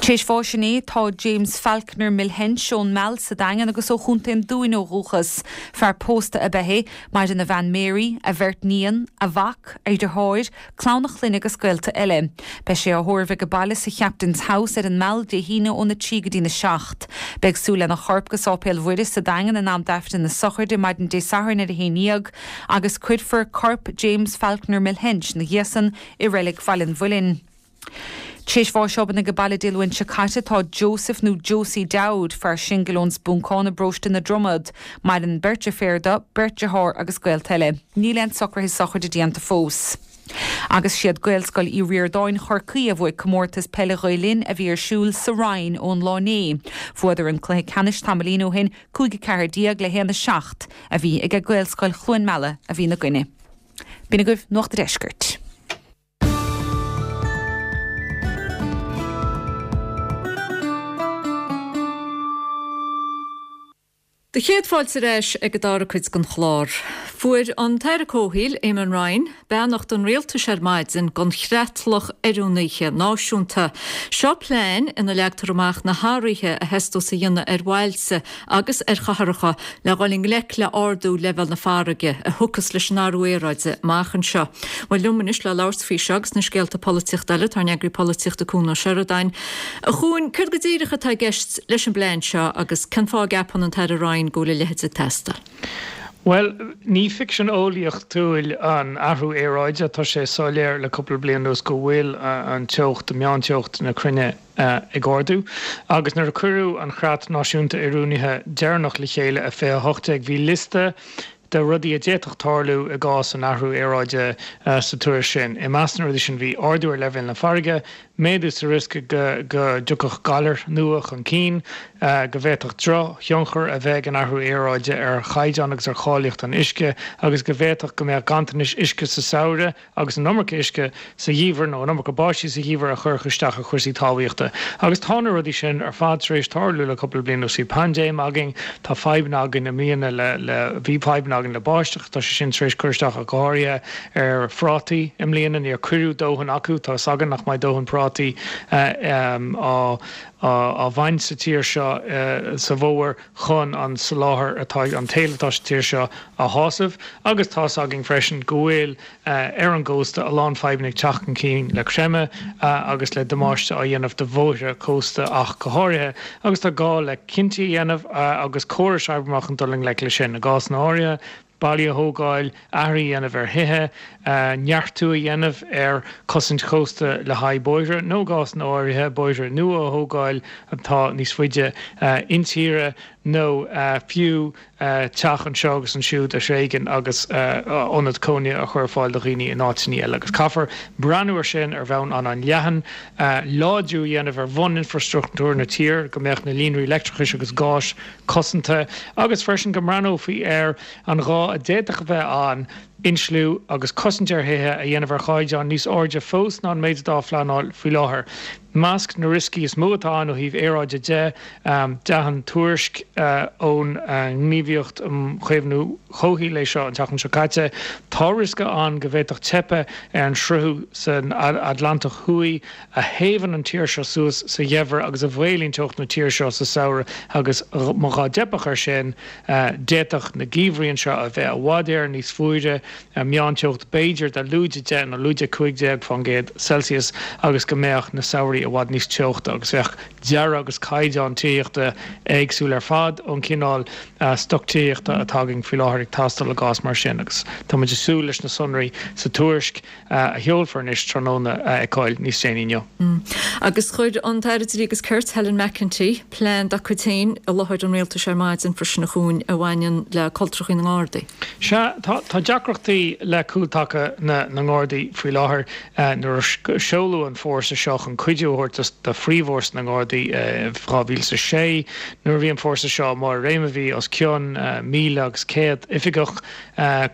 Tar éis bháis inné tá James Falconer Milhench ón Meal sa Daingean agus ó Chontae an Dúin ó dhúchas. Fear pósta ab ea é. Maireann a bhean Mary, a bheirt níon, a mhac, a dheartháir, clann a chlainne agus gaolta eile. Beidh sé á thórramh age baile sa Chaptain's House ar an Meal Dé hAoine óna 3 go dtína 7. Beidh súil lena chorp go Sáipéal Mhuire sa Daingean in am d'Aifreann na sochraide maidin Dé Sathairn ar a haon dhéag agus cuirfear corp James Falconer Milhench 'na dhiaidh san i Reilig Bhaile an Mhuilinn. Tar éis bháis obann age baile Dé Luain seo caite tá Joseph nó Josie Dowd, fear singil ón Spúncán i bparóiste na Dromad. Maireann beirt deirféar dó, beirt dearthár agus gaolta eile. Níl aon socruithe sochraide déanta fós. Agus siad Gaelscoil Uí Ríordáin Chorcaí a bhuaigh comórtas peile Ghael Linn a bhí ar siúl sa Rinn ón lá inné. Bhuadar an cluiche ceannais tamaillín ó shin, 5 14 le 1 7 a bhí aige Gaelscoil Chluain Meala a bhí ina gcoinne. B'in agaibh Nuacht a' Deiscirt. Do chéad fáilte ar ais ag an dara cuid den chlár. Fuair an tAire Comhshaoil, Eamon Ryan, beannacht an Rialtais ar maidin don Chreatlach Oiriúnaithe Náisiúnta. Seo plean ina leagtar amach na hathruithe a theastós a dhéanamh ar bhailte agus ar chathracha le dhul i ngleic le ardú leibhéal na farraige a thiocfas leis an athrú aeráide amach anseo. Bhuel, liom anois le labhairt faoi seo agus na scéalta polaitíochta eile, tá ár n-eagraí polaitíochta Cuan Ó Seireadáin. A Chuain, céard go díreach atá i gceist leis an bplean seo agus cén fáth a gceapann an tAire Ryan go bhfuil a leithéid ag teastáil? Bhuel, ní ficsean eolaíochtúil an athrú aeráide. Tá sé soiléir le cúpla bliain anuas go bhfuil an teocht, meánteocht na cruinne, ag ardú. Agus nuair a cuireadh an Chreat Náisiúnta Oiriúnaithe deireanach le chéile i 2018, bhí liosta de rudaí a d'fhéadfadh tarlú i gcás an athrú aeráide sa tuairisc sin. I measc na rudaí sin bhí ardú ar leibhéal na farraige, méadú sa riosca go dtiocfadh galair nua chun cinn, go bhféadfadh drochthionchar a bheith ag an athrú aeráide ar chaighdeán agus ar cháilíocht an uisce agus go bhféadfadh go mbeadh ganntanais uisce sa samhradh agus an iomarca uisce sa gheimhreadh nó an iomarca báistí sa gheimhreadh a chuirfeadh isteach ar chúrsaí talmhaíochta. Agus tá na rudaí sin ar fad tar éis tarlú le cúpla bliain anuas. Bhí paindéim againn, tá fadhbanna againn i mbliana le, le, bhí fadhbanna againn le báisteach, tá sé sin tar éis cur isteach ach go háirithe ar phrátaí i mbliana, níor cuireadh dóthain acu, tá 'fhios againn nach mbeidh dóthain prátaí á, á bhaint sa tír seo sa bhfómhar chun an soláthar atá, an t-éileamh atá sa tír seo a shásamh agus tá 'fhios againn freisin go bhfuil ar an gcósta a lán fadhbanna ag teacht chun cinn le creimeadh agus le damáiste á dhéanamh do bhóithre cósta ach go háirithe agus tá gá le cinntí a dhéanamh agus córais a oibriú amach chun dul i ngleic leis sin. I gcásanna áirithe, ballaí a thógáil, athruithe a dhéanamh ar thithe, neartú a dhéanamh ar chosaint chósta le haghaidh bóithre nó i gcásanna áirithe, bóithre nua a thógáil atá níos faide intíre nó fiú teach anseo agus ansiúd a thréigean agus ionad cónaithe a chur ar fáil do dhaoine in áiteanna eile. Agus caithfear breathnú ar sin ar bhonn an-leathan, láidriú a dhéanamh ar bhun-infreastruchtúr na tíre, go mbeadh na líonraí leictreachais agus gáis cosanta agus freisin go mbreathnófaí ar an ghá a d'fhéadfadh a bheith ann insliú agus cosaint ar thithe a dhéanamh ar chaighdeán níos airde fós ná an méid atá á phleanáil faoi láthair. Measc na rioscaí is mó atá ann ó thaobh aeráide de, d'aithin tuairisc ón nGníomhaíocht um Chaomhnú Comhshaoil é seo an tseachtain seo caite, tá riosca ann go bhféadfadh teipeadh ar an sruthú san Atlantach Thuaidh, a théamhann an tír seo suas sa gheimhreadh agus a mhaolaíonn teocht na tíre seo sa samhradh agus má dá dteipfeadh air sin, d'fhéadfadh na geimhrí anseo a bheith i bhfad Éireann níos fuaire, meánteocht b'fhéidir de lúide 10 nó lúide 15 fán gcéad Celsius agus go mbeadh na samhraí i bhfad níos teochta agus bheadh dearadh agus caighdeán tithíochta éagsúil ar fad ón chineál stoc tithíochta atá againn faoi láthair ag teastáil i gcás mar sin agus tá muid ag súil leis na sonraí sa tuairisc a sheolfar anois tráthnóna a fheiceáil níos déanaí inniu. Agus chuir an tAire Dlí agus Cirt, Helen McEntee, plean dá cuid féin i láthair an rialtais ar maidin freisin a Chuain a bhaineann le cultrachaí na nGardaí. Sea, tá deacrachtaí le cúltaca na nGardaí faoi láthair. Nuair a seoladh an fórsa seo chun cuidiú a thabhairt do phríomhfhórsa na nGardaí i 2006, nuair a bhí an fórsa seo i mbarr a réime bhí os cionn 1,100 oifigeach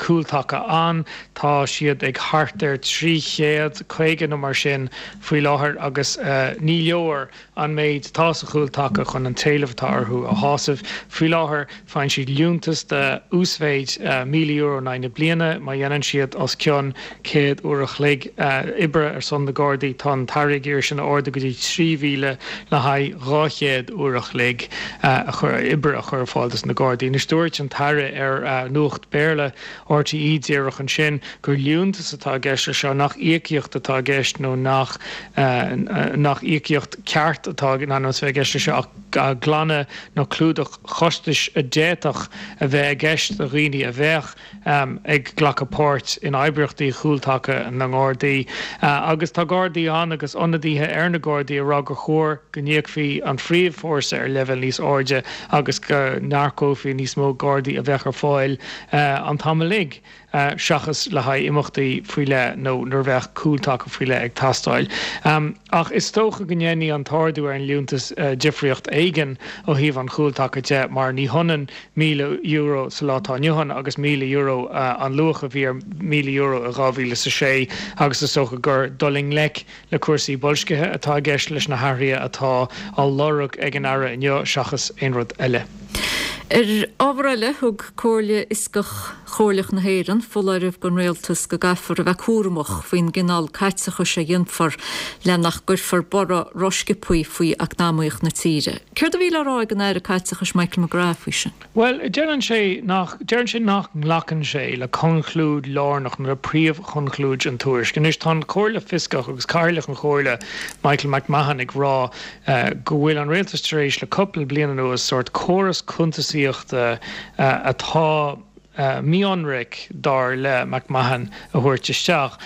cúltaca ann. Tá siad ag thart ar 350 nó mar sin faoi láthair agus ní leor an méid atá sa chúltaca chun an t-éileamh atá orthu a shásamh. Faoi láthair faigheann siad liúntas de uasmhéid €1,000 in aghaidh na bliana má dhéanann siad os cionn 100 uair a chloig oibre ar son na Gardaí. Tá an tAire ag iarraidh sin a ardú go dtí 3,000 le haghaidh 200 uair a chloig oibre a chur ar fáil dos na Gardaí. Anois dúirt an tAire ar Nuacht Béarla RTÉ díreach ansin gur liúntas atá i gceist leis seo, nach íocaíocht atá i gceist nó nach nach íocaíocht ceart atá in ainm is a bheith i gceist leis seo ach glanadh nó clúdach costais a d'fhéadfadh a bheith i gceist do dhaoine a bheadh ag glanadh. glacadh páirt in oibríochtaí chúltaca na nGardaí. Agus tá Gardaí ann agus ionadaithe ar na Gardaí ag rá gur chóir go n-íocfaí an phríomhfhórsa ar leibhéal níos airde agus go n-earcófaí níos mó Gardaí a bheadh ar fáil an t-am uilig seachas le haghaidh imeachtaí faoi leith nó nuair a bheadh cúltaca faoi leith ag teastáil. Ach is dócha go ndéanfaidh an t-ardú ar an liúntas difríocht éigin ó thaobh an chúltaca de mar ní hionann €1,000 sa lá atá inniu ann agus €1,000 an luach a bhí ar €1,000 i 2006 agus is dócha gur dul i ngleic le cúrsaí boilscithe atá i gceist leis na hathruithe atá á lorg ag an Aire inniu seachas aon rud eile. Ar ábhar eile, thug Comhairle Fhioscach Chomhairleach na hÉireann foláireamh don Rialtas go gcaithfear a bheith cúramach faoin gcineál caiteachais a dhéanfar le nach gcuirfear borradh rósciobtha faoi eacnamaíocht na tíre. Céard a bhí le rá ag an Aire Caiteachais Michael McGrath faoi sin? Bhuel, deireann sé nach, deireann sé nach nglacann sé le conclúid lárnach nó le príomhchonclúid an tuairisc. Anois tá an Chomhairle Fioscach agus Cathaoirleach an Chomhairle, Michael McMahon ag rá go bhfuil an rialtas tar éis le cúpla bliain anuas sórt córas cuntasaíochta atá mí-ionraic, dar le McMahon, a thabhairt isteach.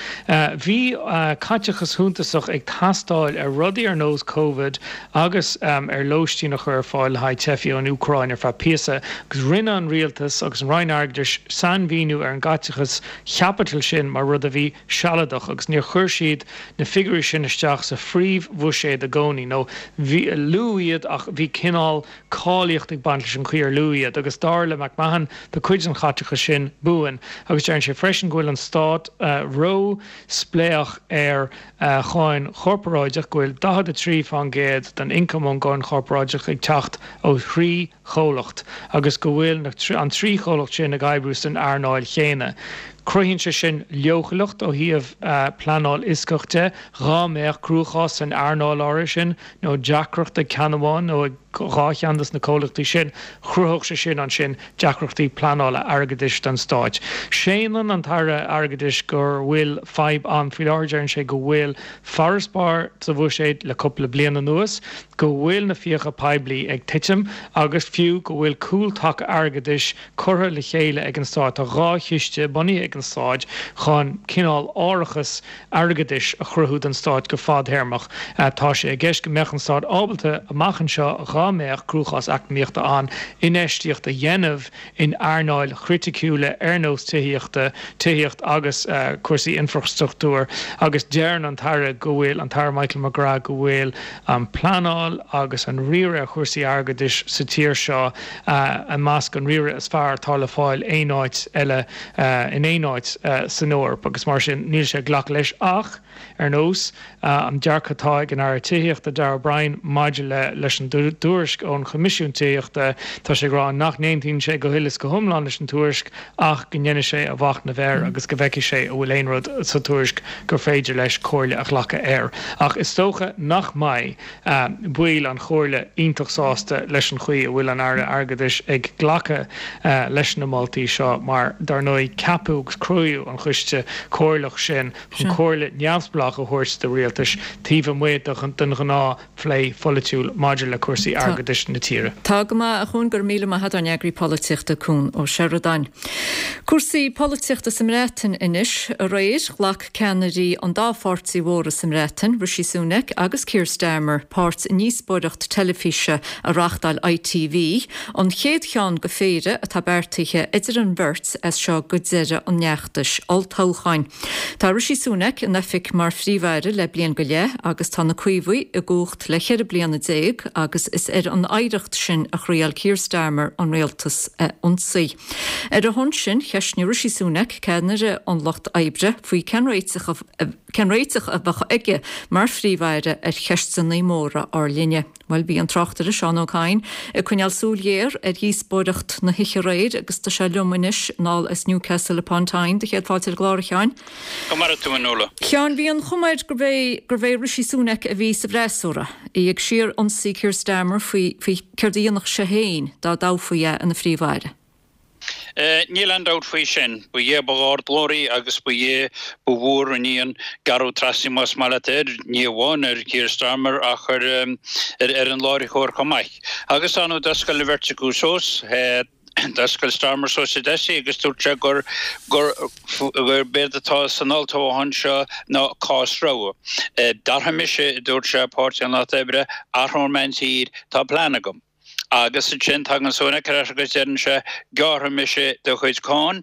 Bhí caiteachas shuntasach ag teastáil ar rudaí ar nós Covid agus ar lóistín a chur ar fáil le haghaidh teifigh ón Úcráin ar feadh píosa agus rinne an rialtas agus an Roinn Airgeadais sainmhíniú ar an gcaiteachas chaipitil sin mar rud a bhí sealadach agus níor chuir siad na figiúirí sin isteach sa phríomhbhuiséad i gcónaí nó bhí, luadh iad ach bhí cineál cáilíocht ag baint leis an chaoi ar luadh iad agus dar le McMahon tá cuid den chaiteachas sin buan agus deireann sé freisin go bhfuil an stát ró-spléach ar cháin chorparáideach, go bhfuil 43% den ioncam ón gcáin chorparáideach ag teacht ó thrí chomhlacht agus go bhfuil an trí chomhlacht sin ag oibriú san earnáil chéanna. Cruthaíonn sé sin leochaileacht ó thaobh pleanáil fhioscach de, dhá mbeadh cruachás san earnáil áirithe sin nó deacracht ag ceann amháin nó ag dhá cheann de na comhlachtaí sin, chruthódh sé sin ansin deacrachtaí pleanála airgeadais don Stát. Séanann an tAire Airgeadais go bhfuil fadhb ann faoi láthair, deireann sé go bhfuil farasbarr sa bhuiséad le cúpla bliain anuas, go bhfuil na fiacha poiblí ag titim agus fiú go bhfuil cúltaca airgeadais curtha le chéile ag an Stát. Tá dhá chiste bunaithe ag an Stát chun cineál árachas airgeadais a chruthú don Stát go fadthéarmach. Tá sé i gceist go mbeadh an Stát ábalta, amach anseo, dhá mbeadh cruachás eacnamaíochta ann, infheistíocht a dhéanamh in earnáil chriticiúla ar nós tithíochta, tithíocht agus cúrsaí infreastruchtúir agus deireann an tAire go bhfuil, an tAire Michael McGrath, go bhfuil an pleanáil agus an riaradh ar chúrsaí airgeadais sa tír seo i measc an riaradh is fearr atá le fáil aon áit eile in aon áit san Eoraip agus mar sin níl sé ag glacadh leis ach ar nós an dearcadh atá ag an Aire Tithíochta Darragh O'Brien maidir le leis an dtuairisc ón Choimisiún Tithíochta tá sé ag rá nach n-aontaíonn sé go huile is go hiomlán leis an tuairisc ach go ndéanfaidh sé a mhachnamh air agus go bhfeicfidh sé an bhfuil aon rud sa tuairisc gur féidir leis comhairle a ghlacadh air. Ach is dócha nach mbeidh baill an Chomhairle iontach sásta leis an chaoi a bhfuil an Aire Airgeadais ag glacadh leis na moltaí seo mar, dar ndóigh, ceapadh agus cruthaíodh an Choiste Comhairleach sin chun comhairle neamhspleách a thabhairt do rialtais taobh amuigh den ghnáth phlé pholaitiúil maidir le cúrsaí airgeadais na tíre. Tá go maith, a Chúin, go raibh míle maith agat, ár n-eagraí polaitíochta, Cún Ó Seireadáin. Cúrsaí polaitíochta sa mBreatain anois. Aréir, ghlac ceannairí an dá pháirtí mhóra sa mBreatain, Rishi Sunak agus Keir Starmer, páirt i ndíospóireacht teilifíse a reáchtáil ITV, an chéad cheann de phéire atá beartaithe idir an bheirt as seo go deireadh an fheachtais olltoghcháin. Tá Rishi Sunak in oifig mar Phríomh-Aire le bliain go leith agus tá na Caomhaigh i gcumhacht le 14 bliana agus is ar an oidhreacht sin a thriail Keir Starmer an rialtas a ionsaí. Ar a shon sin, cheistnigh Rishi Sunak, ceannaire an Lucht Oibre, faoi cén réiteach cén réiteach a bheadh aige mar Phríomh-Aire ar cheisteanna móra ár linne. Bhuel, bhí an tráchtaire Seán Ó Cadhain ag coinneáil súil ghéar ar dhíospóireacht na hoíche aréir agus tá sé liom anois anall as Newcastle upon Tyne. Do chéad fáilte ar an gclár, a Sheáin. Go maire tú, a Nuala. Sheáin, bhí an chuma air gurbh é gurbh é Rishi Sunak a bhí sa bhfreasúra, é ag síor-ionsaí Keir Starmer faoi faoi céard a dhéanfadh sé féin dá dtoghfaí é ina Phríomh-Aire. Níl aon dabht faoi sin. Ba é ba ardghlóraí agus ba é ba mhór a ní an gearradh trasna, más maith leat air, ní amháin ar Keir Starmer ach ar ar an láithreoir chomh maith. Agus ar ndóigh d'oscail an bheirt acu suas. D'oscail Starmer suas a deasc agus dúirt sé gur gur gurb éard atá san olltoghchán seo ná cás rogha. Dearfaidh mise, a dúirt sé, Páirtí an Lucht Oibre, athróidh mé an tír, tá plean agam. Agus ansin tagann Sunak ar ais agus deireann sé, gearrfaidh mise do chuid cáin,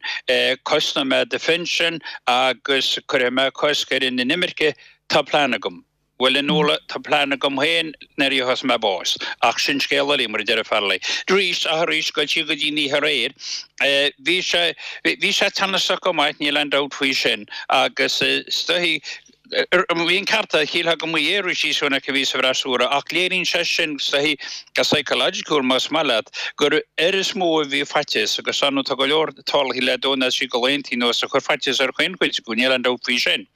cosnóidh mé do phinsean agus cuirfidh mé cosc ar an inimirce, tá plean agam. Bhuel, a Nuala, tá plean agam féin nuair a gheobhas mé bás. Ach sin scéal eile, mar a deir Farrelly. Arís, ach arís, goil siar go dtí an oíche aréir, bhí sé, bhí sé teannasach go maith, níl aon dabht faoi sin. Agus is dóichí, bhí an ceart aige, shílfeá go mba é Rishi Sunak a bhí sa bhfreasúra, ach léiríonn sé sin, is dóichí, go psychological, más maith leat, gur air is mó a bhí faitíos, agus ar ndóigh tá go leor tarlaithe le dó na sí go laethanta anuas a chuir faitíos ar chaon chuid acu, níl aon dabht faoi sin.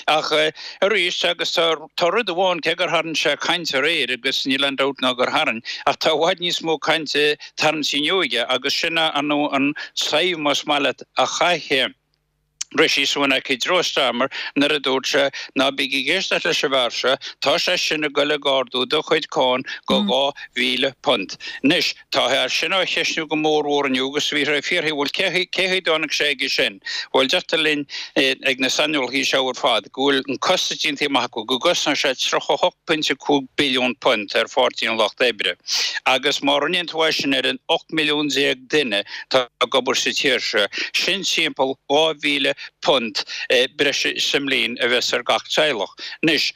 Ach arís, agus tá tá rud amháin, cé gur tharraing sé caint aréir, agus níl aon dabht ná gur tharraing, ach tá i bhfad níos mó cainte tarraingthe inniu aige, agus sin ar ndóigh an saigh, más maith leat, a chaith Rishi Sunak i dtreo Starmer nuair a dúirt sé, ná bígí ag éisteacht leis an bhfear seo, tá sé sin ag goil ag ardú do chuid cáin go £2,000. Anois, Tá é sin á cheistniú go mór mhór inniu agus bhí sé ag fiafraí, bhuel, cé chaoi a dtáinig sé aige sin? Bhuel, deirtear linn ag na saineolaithe seo ar fad go bhfuil an costas déanta amach acu go gcosnóidh sé £38.5 billiún ar Pháirtí an Lucht Oibre agus má rinneann tú é sin ar an 18 milliún duine atá ag obair sa tír seo, sin timpeall £2,000 breise sa mbliain a bheas ar gach teaghlach. Anois.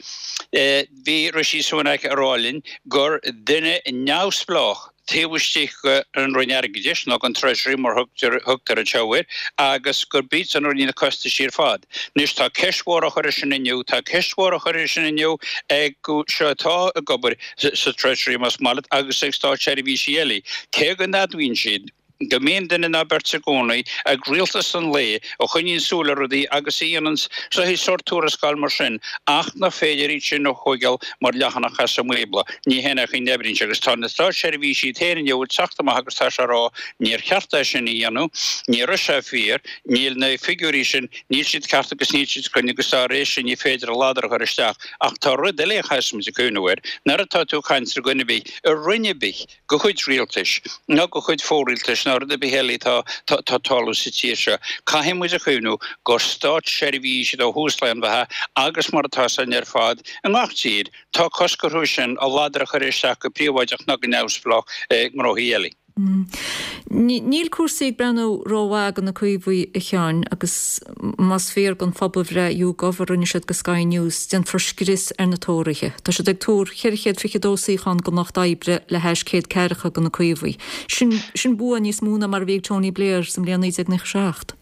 Bhí Rishi Sunak ag rá linn gur duine neamhspleách taobh istigh den Roinn Airgeadais, nó den Treasury mar thugtar anseo air, agus gurb iadsan a rinne na costaisí ar fad. Anois tá ceist mhór á chur air sin inniu, tá ceist mhór á chur air sin inniu ag seo atá ag obair sa Treasury más maith leat agus ag státseirbhísigh eile, cé go n-admhaíonn siad, go mbíonn duine ná beirt i gcónaí ag rialtas an lae a choinníonn súil ar rudaí agus a dhéanann sórt tuarascáil mar sin ach nach féidir iad sin a thóigeáil mar leathanach as an mBíobla. Ní hin an chaoi a n-oibríonn sé agus tá na státseirbhísigh iad féin inniu ag teacht amach agus tá sé ag rá níor cheart é sin a dhéanamh, ní raibh sé fíor, níl na figiúirí sin, níl siad ceart agus níl siad cruinn agus dá réir sin ní féidir a ladar a chur isteach. Ach tá rud eile a chaithfeas muid a cuimhneamh air, nuair atá tú ag caint ar dhuine ar bith i roinn ar bith, de chuid rialtais, nó de chuid fo-rialtais, nó rud ar bith eile atá ag tarlú sa tír seo. Caithfidh muid a chuimhniú gur státseirbhís iad ó thús lae an bheatha agus mar atá san ar fad i ngach tír, tá cosc orthu sin a ladar a chur isteach go príobháideach ná go neamhspleách i ngnóthaí eile. Níl cúrsaí ag breathnú rómhaith do na Caomhaigh, a Sheáin, agus más fíor don phobalbhreith YouGov a rinne siad do Sky News, déanfar scrios ar na Tóraithe. Tá siad ag tuar 422 suíochán don Lucht Oibre le hais 100 ceathracha do na Caomhaigh. Sin, sin bua níos mó ná mar a bhí ag Tony Blair sa mbliain 1997.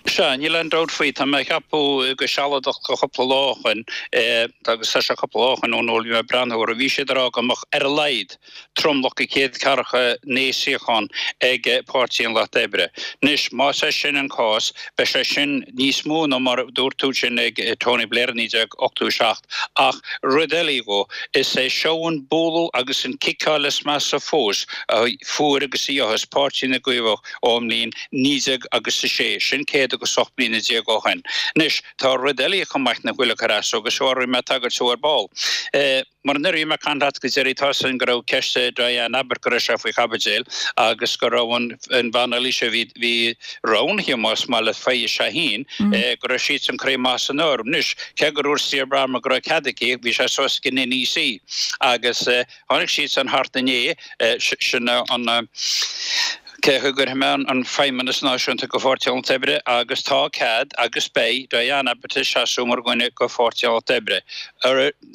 Sea, níl aon dabht faoi. Tá mé a cheapadh go sealadach go cúpla lá ó shoin, agus tá sé cúpla lá ó shoin ón uair a bhí mé ag breathnú orthu, bhí siad ag rá go mbeadh ar a laghad tromlach de 149 suíochán ag Páirtí an Lucht Oibre. Anois, más é sin an cás, beidh sé sin níos mó ná mar a dúirt tú sin ag Tony Blair i 1987. Ach rud eile dhó, is é seo an bualadh agus an ciceáil is measa fós a fuair agus a gheobhas Páirtí na gCaomhach ón mbliain 19 agus a sé, sin céad agus 18 bliana ó shoin. Anois, tá rud eile chomh maith nach bhfuil ag cur as dó, agus seo a raibh mé ag tagairt dó ar ball. Mar nuair a bhí mé ag caint leat go deiridh, tá 'fhios a'inn go raibh ceist Diane Abbott go raibh sé faoi chaibidil agus go raibh an bhean eile seo a bhí bhí roghnaithe más maith leat Faiza Shaheen, go raibh siadsan curtha amach as an áireamh. Anois, cé gur dhúirt Steve Ballmer go raibh cead aici, bhí sé suas ag an NEC agus tháinig siadsan thart inné, sin an cé go gcuirfidh mé an Feidhmeannas Náisiúnta go Pháirtí an Lucht Oibre agus tá cead agus beidh Diane Abbott ag seasamh mar dhuine go Pháirtí an Lucht Oibre.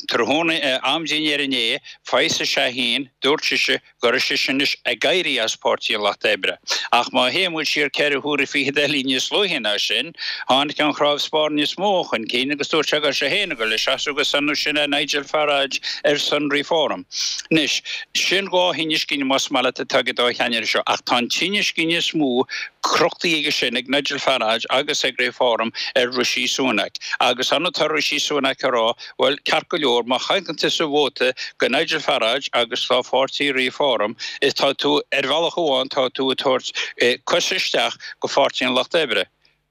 Tráthnóna am dinnéir inné, Faiza Shaheen, dúirt sise go raibh sise anois ag éirí as Páirtí an Lucht Oibre. Ach má théann muid siar ceithre huaire fichead eile níos luaithe ná sin, tháinig an chnámh spairne is mó chun cinn agus dúirt sé go raibh sé féin ag dul ag seasamh agus ar ndóigh sin é Nigel Farage ar son Reform. Anois, sin dhá thine scine más maith leat atá ag an dá cheannaire seo, ach tá an tine scine is mó crochtaí aige sin, ag Nigel Farage agus ag Reform ar Rishi Sunak. Agus ar ndóigh tá Rishi Sunak ag rá, bhuel, ceart go leor, má chaitheann tusa vóta go Nigel Farage agus do pháirtí Reform, is tá tú, ar bhealach amháin, tá tú ag tabhairt cos isteach go Pháirtí an Lucht Oibre.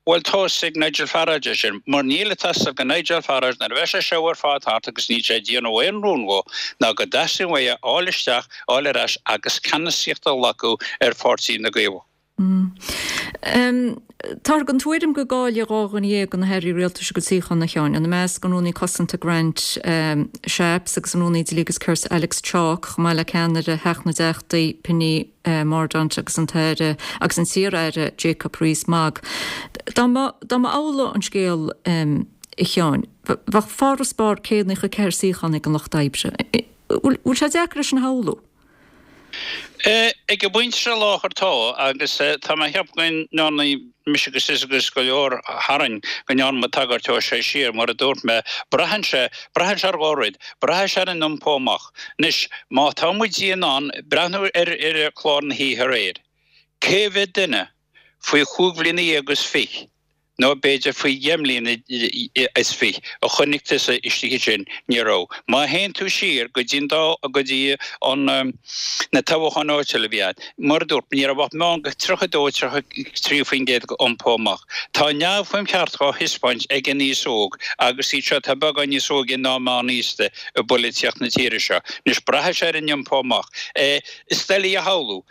Bhuel, tá 'fhios ag Nigel Farage é sin, mar níl ag teastáil go Nigel Farage nuair a bheidh sé seo ar fad thart agus níl sé ag déanamh aon rún dhó ná go dteastaíonn uaidh a fháil isteach, fháil ar ais agus ceannasaíocht a ghlacadh ar Pháirtí na gCaomhach. Táthar den tuairim go gcaillfidh 12 de na hairí rialtais a gcuid suíochán, a Sheáin, ina measc an Rúnaí Cosanta Grant Shapps agus an Rúnaí Dlí agus Cirt Alex Chalk, chomh maith le ceannaire Theach na dTeachtaí Penny Mordaunt agus an tAire agus an t-iar-aire Jacob Rees-Mogg. Dá mba amhlaidh an scéal, a Sheáin, bheadh farasbarr 194 suíochán ag an Lucht Oibre. Bhfuil sé deacair é sin a shamhlú? Ag an bpointe seo láthair tá, agus tá mé ag ceapadh go ndearna mise agus tusa agus go leor tharainn, go ndearna muid tagairt dó seo siar, mar a dúirt mé, braitheann sé, braitheann sé ar dhá rud, braitheann sé ar an iompó amach. Anois, má tá muid in ann breathnú ar ar chlár na hoíche aréir, cé mhéad duine faoi chúig bhliana dhéag is fiche, nó b'fhéidir faoi dheich mbliana is fiche, a chonaic tusa istigh ansin, ní raibh. Má théann tú siar go dtí an dá, go dtí an, na toghcháin áitiúla a bhí ann, mar a dúirt mé, ní raibh ach meán de 32, 33% de iompó amach. Tá neamhshuim cheart dhá thaispeáint ag an aos óg agus iad seo atá beagán níos óige ná meánaosta i bpolaitíocht na tíre seo. Anois, braithfidh sé ar an iompó amach. Is doiligh a shamhlú.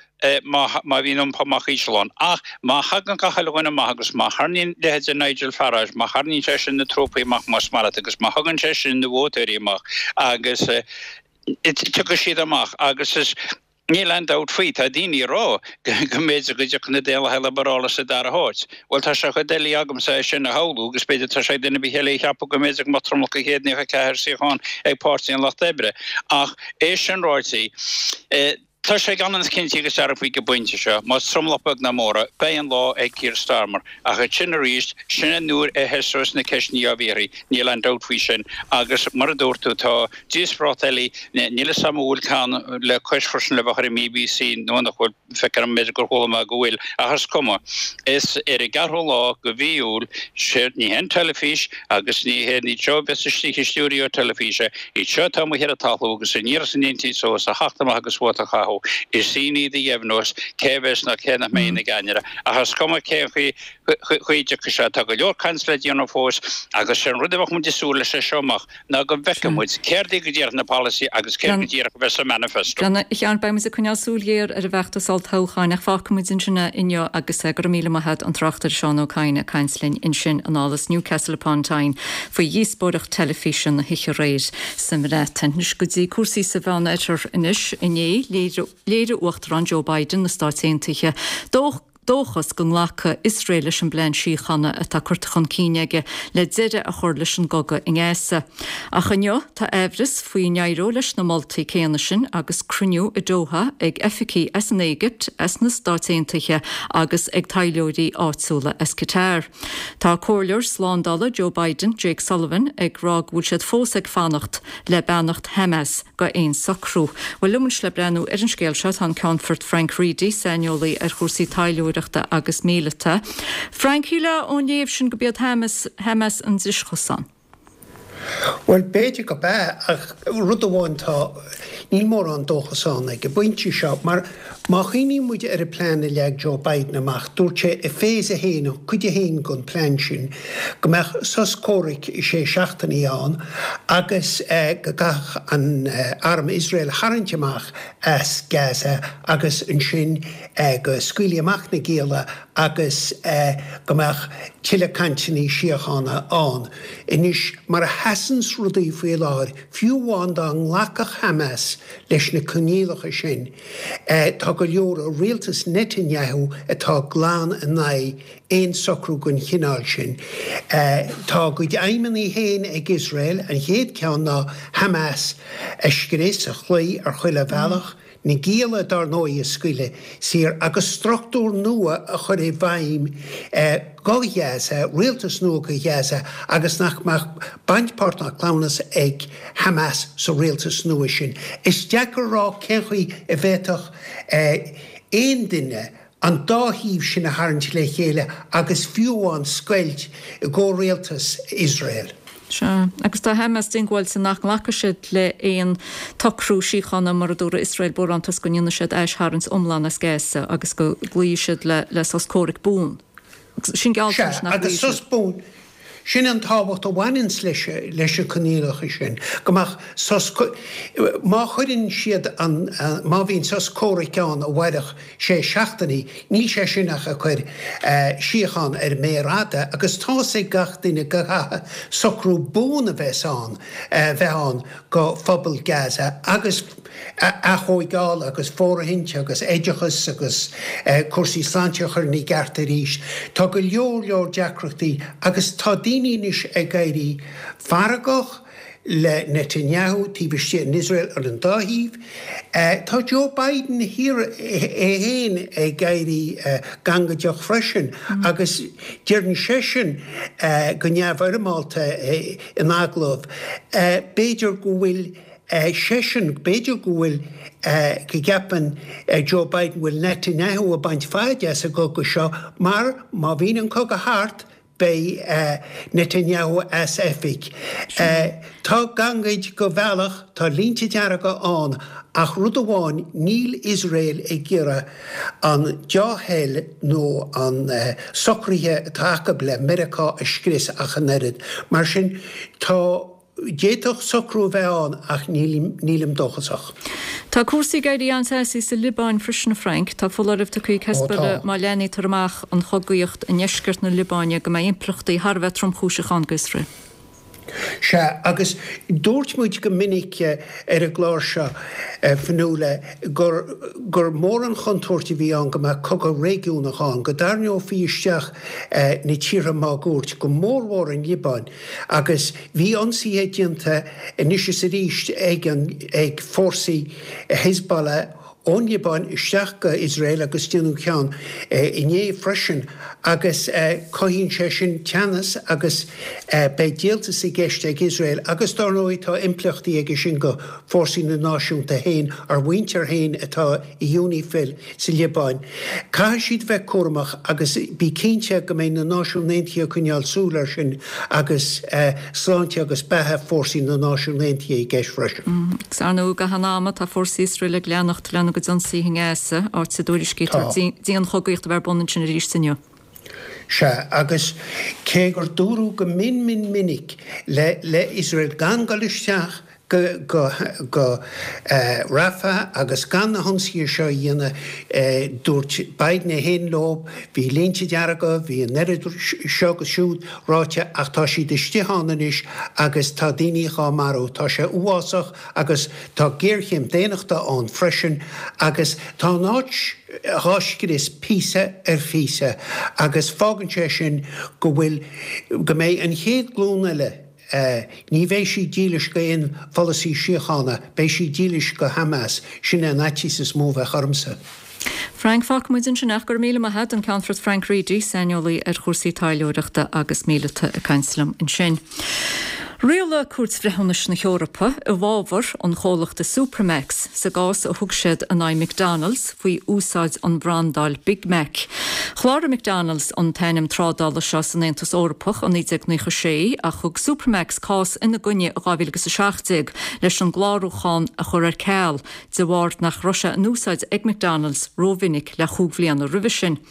má bhíonn iompó amach íseal ann. Ach má thagann gach uile dhuine amach agus má tharraingíonn leithéide Nigel Farage, má tharraingíonn sé sin na trúpaí amach más maith leat agus má thugann sé sin na vótóirí amach agus tiocfaidh siad amach agus is níl aon dabht faoi, tá daoine ag rá go mb'fhéidir go dtiocfaidh na Daonlathaigh Liobarálacha sa dara háit. Bhuel tá sé chomh doiligh agamsa é sin a shamhlú agus b'fhéidir tá sé ag duine ar bith eile a cheapadh go mb'fhéidir go mbeadh tromlach de 194 suíochán ag Páirtí an Lucht Oibre. Ach é sin ráite, Tá sé gan fhios cinnte agus dearfa ag an bpointe seo, más tromlach beag ná mór é, beidh an lá ag Keir Starmer. Ach ansin arís, sin an uair a thoiseos na ceisteanna á bhfiafraí, níl aon dabht faoi sin. Agus mar a dúirt tú, tá díospóireacht eile, níl 'fhios a'm an bhfuil ceann le cois freisin le bheith ar an mBBC nó nach bhfuil, feictear dom b'fhéidir gur chuala mé go bhfuil, ach is cuma. Is ar an gceathrú lá de mhí Iúil, ní hé an teilifís agus ní hé iad seo a bheas istigh i stiúideo teilifíse, Iad seo atá amuigh ar an talamh agus an iarracht a ndéanfaidh siad as a theacht amach agus vóta a chaitheamh, is sin iad a dheimhneos cé a bheas nó cé nach mbeidh ina gceannaire. Ach is cuma cén chaoi a dtiocfaidh sé, tá go leor cainte le déanamh fós agus sé an rud a bheadh muid ag súil leis as seo amach ná go bhfeicfidh muid céard é go díreach na polasaithe agus céard go díreach a bheas sa manifesto. A Sheáin, beidh muid ag coinneáil súil ghéar ar an bhfeachtas olltoghcháin ach fágfaidh muid ansin é inniu agus go raibh míle maith agat an tráchtaire Seán Ó Cadhain ag caint linn ansin anall as Newcastle upon Tyne faoi dhíospóireacht teilifíse na hoíche aréir sa mBreatain. Anois go dtí cúrsaí sa Mheánoirthear anois. Inné, léirigh Uachtarán Joe Biden na Stáit Aontaithe dóchas go nglacfaidh Iosrael leis an bplean síochána atá curtha chun cinn aige le deireadh a chur leis an gcogadh i nGaza. Ach inniu, tá aimhreas faoi an n-éireoidh leis na moltaí céanna sin agus cruinniú i Doha ag oifigigh as an Éigipt, as na Stáit Aontaithe agus ag taidhleoirí áitiúla as Qatar. Tá comhairleoir slándála Joe Biden, Jake Sullivan, ag rá go bhfuil siad fós ag fanacht le beannacht Hamas go aon socrú. Bhuel, liom anois le breathnú ar an scéal seo tá an Ceannfort Frank Reidy, saineolaí ar chúrsaí taidhleoireachta agus míleata. Frank, shílfeá ón léamh sin go b'iad Hamas Hamas an drischosán. Bhuel, b'fhéidir go b'ea, ach rud amháin tá, níl mórán dóchas ann ag an bpointe seo, mar má chuimhníonn muid ar an bplean a leag Joe Biden amach, dúirt sé i Phase 1, cuid a haon den phlean sin, go mbeadh sos comhraic sé seachtainí ann agus go gcaithfeadh an arm Iosrael tharraingt amach as Gaza agus ansin go scaoilfí amach na gialla agus go mbeadh tuilleadh cainteanna síochána ann. Anois, mar a sheasanns rudaí faoi láthair, fiú amháin dá nglacfadh Hamas leis na coinníollacha sin, tá go leor i rialtas Netanyahu atá glan in aghaidh aon socrú den chineál sin. Tá a gcuid aidhmeanna féin ag Iosrael, an chéad ceann ná Hamas a scrios, a chloí ar chuile bhealach, na gialla, dár ndóigh, a scaoileadh saor agus struchtúr nua a chur i bhfeidhm go Ghaza, rialtas nua go Ghaza agus nach mbeadh baint, páirt ná cleamhnas ag Hamas sa rialtas nua sin. Is deacair a rá cén chaoi a bhféadfadh aon duine an dá thaobh sin a tharraingt le chéile agus fiú amháin scoilt i gcomhrialtas Iosrael. Sea, agus tá Hamas diongbháilte nach nglacfaidh siad le haon tsocrú síochána mura dtabharfaidh Iosrael barántas go ndéanfaidh siad aistharraingt iomlán as Gaza agus go gcloífidh siad le sos comhraic buan. Sin gealltanais nach Sea, agus sos buan. Sin an tábhacht a bhaineanns leis leis na coinníollacha sin, go mbeadh sos, má chuireann siad an, má bhíonn sos comhraic ann a mhairfeadh sé seachtainí, níl sé sin ach ag cur síocháin ar an méar fhada agus tá's ag gach duine go gcaithfidh socrú buan a bheas ann, bheith ann go phobal Gaza agus aththóigeáil agus fóirithint agus oideachas agus cúrsaí sláinte a chur ina gceart arís. Tá go leor leor deacrachtaí agus tá daoine anois ag éirí feargach le Netanyahu taobh istigh in Iosrael ar an dá thaobh. Tá Joe Biden thiar é féin ag éirí gangaideach freisin agus deireann seisean go neamhfhoirmeálta in agallamh b'fhéidir go bhfuil seisean, b'fhéidir go bhfuil, go gceapann Joe Biden go bhfuil Netanyahu ag baint faid as an gcogadh seo mar má bhíonn an cogadh thart beidh Netanyahu as oifig. Tá gangaid go bhealach, tá línte dearga ann ach rud amháin, níl Iosrael ag iarraidh an deá-thoil nó an socruithe atá acu le Meiriceá a scrios ach an oiread. Mar sin tá. D'fhéadfadh socrú a bheith ann ach nílim dóchasach. Tá cúrsaí ag éirí an-teasaí sa Liobáin freisin, a Frank. Tá foláireamh tugtha ag Hezbollah má leathnaítear amach an chogaíocht i ndeisceart na Liobáine go mbeidh impleachtaí thar a bheith tromchúiseach ann d'Iosrael. Sea, agus dúirt muid go minic ar an gclár seo, Fionnuala, gur gur mór an chontúirt a bhí ann go mbeadh cogadh réigiúnach ann, go dtarraingeofaí isteach na tíortha máguaird, go mórmhór an Liobáin. Agus bhí ionsaithe déanta anois is arís ag an ag fórsaí Hezbollah ón Liobáin isteach go Iosrael agus déanadh ceann inné freisin agus cothaíonn sé sin teannas agus beidh díoltas i gceist ag Iosrael agus dár ndóigh tá impleachtaí aige sin go fórsaí na náisiúnta féin, ár mhuintir féin atá i UNIFIL sa Liobáin. Caithfidh siad bheith cúramach agus bí cinnte go mbeidh na Náisiúin Aontaithe ag coinneáil súil air sin agus sláinte agus beatha fórsaí na Náisiún Aontaithe i gceist freisin. Agus ar ndóigh, i gcaitheamh an ama, tá fórsaí Iosrael ag leanacht lena gcuid ionsaithe i nGaza, áit a dtuairiscítear dianchogaíocht a bheith ar bun ansin arís inniu. Sea, agus cé gur dúradh go mion mion minic le le Iosrael gan dul isteach go go go Rafah agus gan na hionsaithe seo a dhéanamh, dúirt Biden é féin leo, bhí línte dearga, bhí an oiread seo agus siúd ráite ach tá siad istigh ann anois agus tá daoine dhá marú. Tá sé uafásach agus tá géarchéim daonnachta ann freisin agus tá an áit dhá scrios píosa ar phíosa agus fágann sé sin go bhfuil, go mbeidh an chéad glún eile, Ní bheidh siad dílis go aon pholasaí síochána, beidh siad dílis go Hamas, sin é an fhaitíos is mó a bheadh ormsa. Frank, Fágfaidh muid ansin é ach go raibh míle maith agat, an Ceannfort Frank Reidy, saineolaí ar chúrsaí taidhleoireachta agus míleata ag caint liom ansin. Rialaigh Cúirt Bhreithiúnais na hEorpa i bhfabhar an chomhlachta Supermac's sa gcás a thug siad in aghaidh McDonald's faoi úsáid an bhrandáil Big Mac. Chláraigh McDonald's an t-ainm trádála seo san Aontas Eorpach i 1996 ach thug Supermac's cás ina gcoinne i 2017 leis an gclárúchán a chur ar ceal de bharr nach raibh sé in úsáid ag McDonald's rómhinic le chúig bhliana roimhe sin.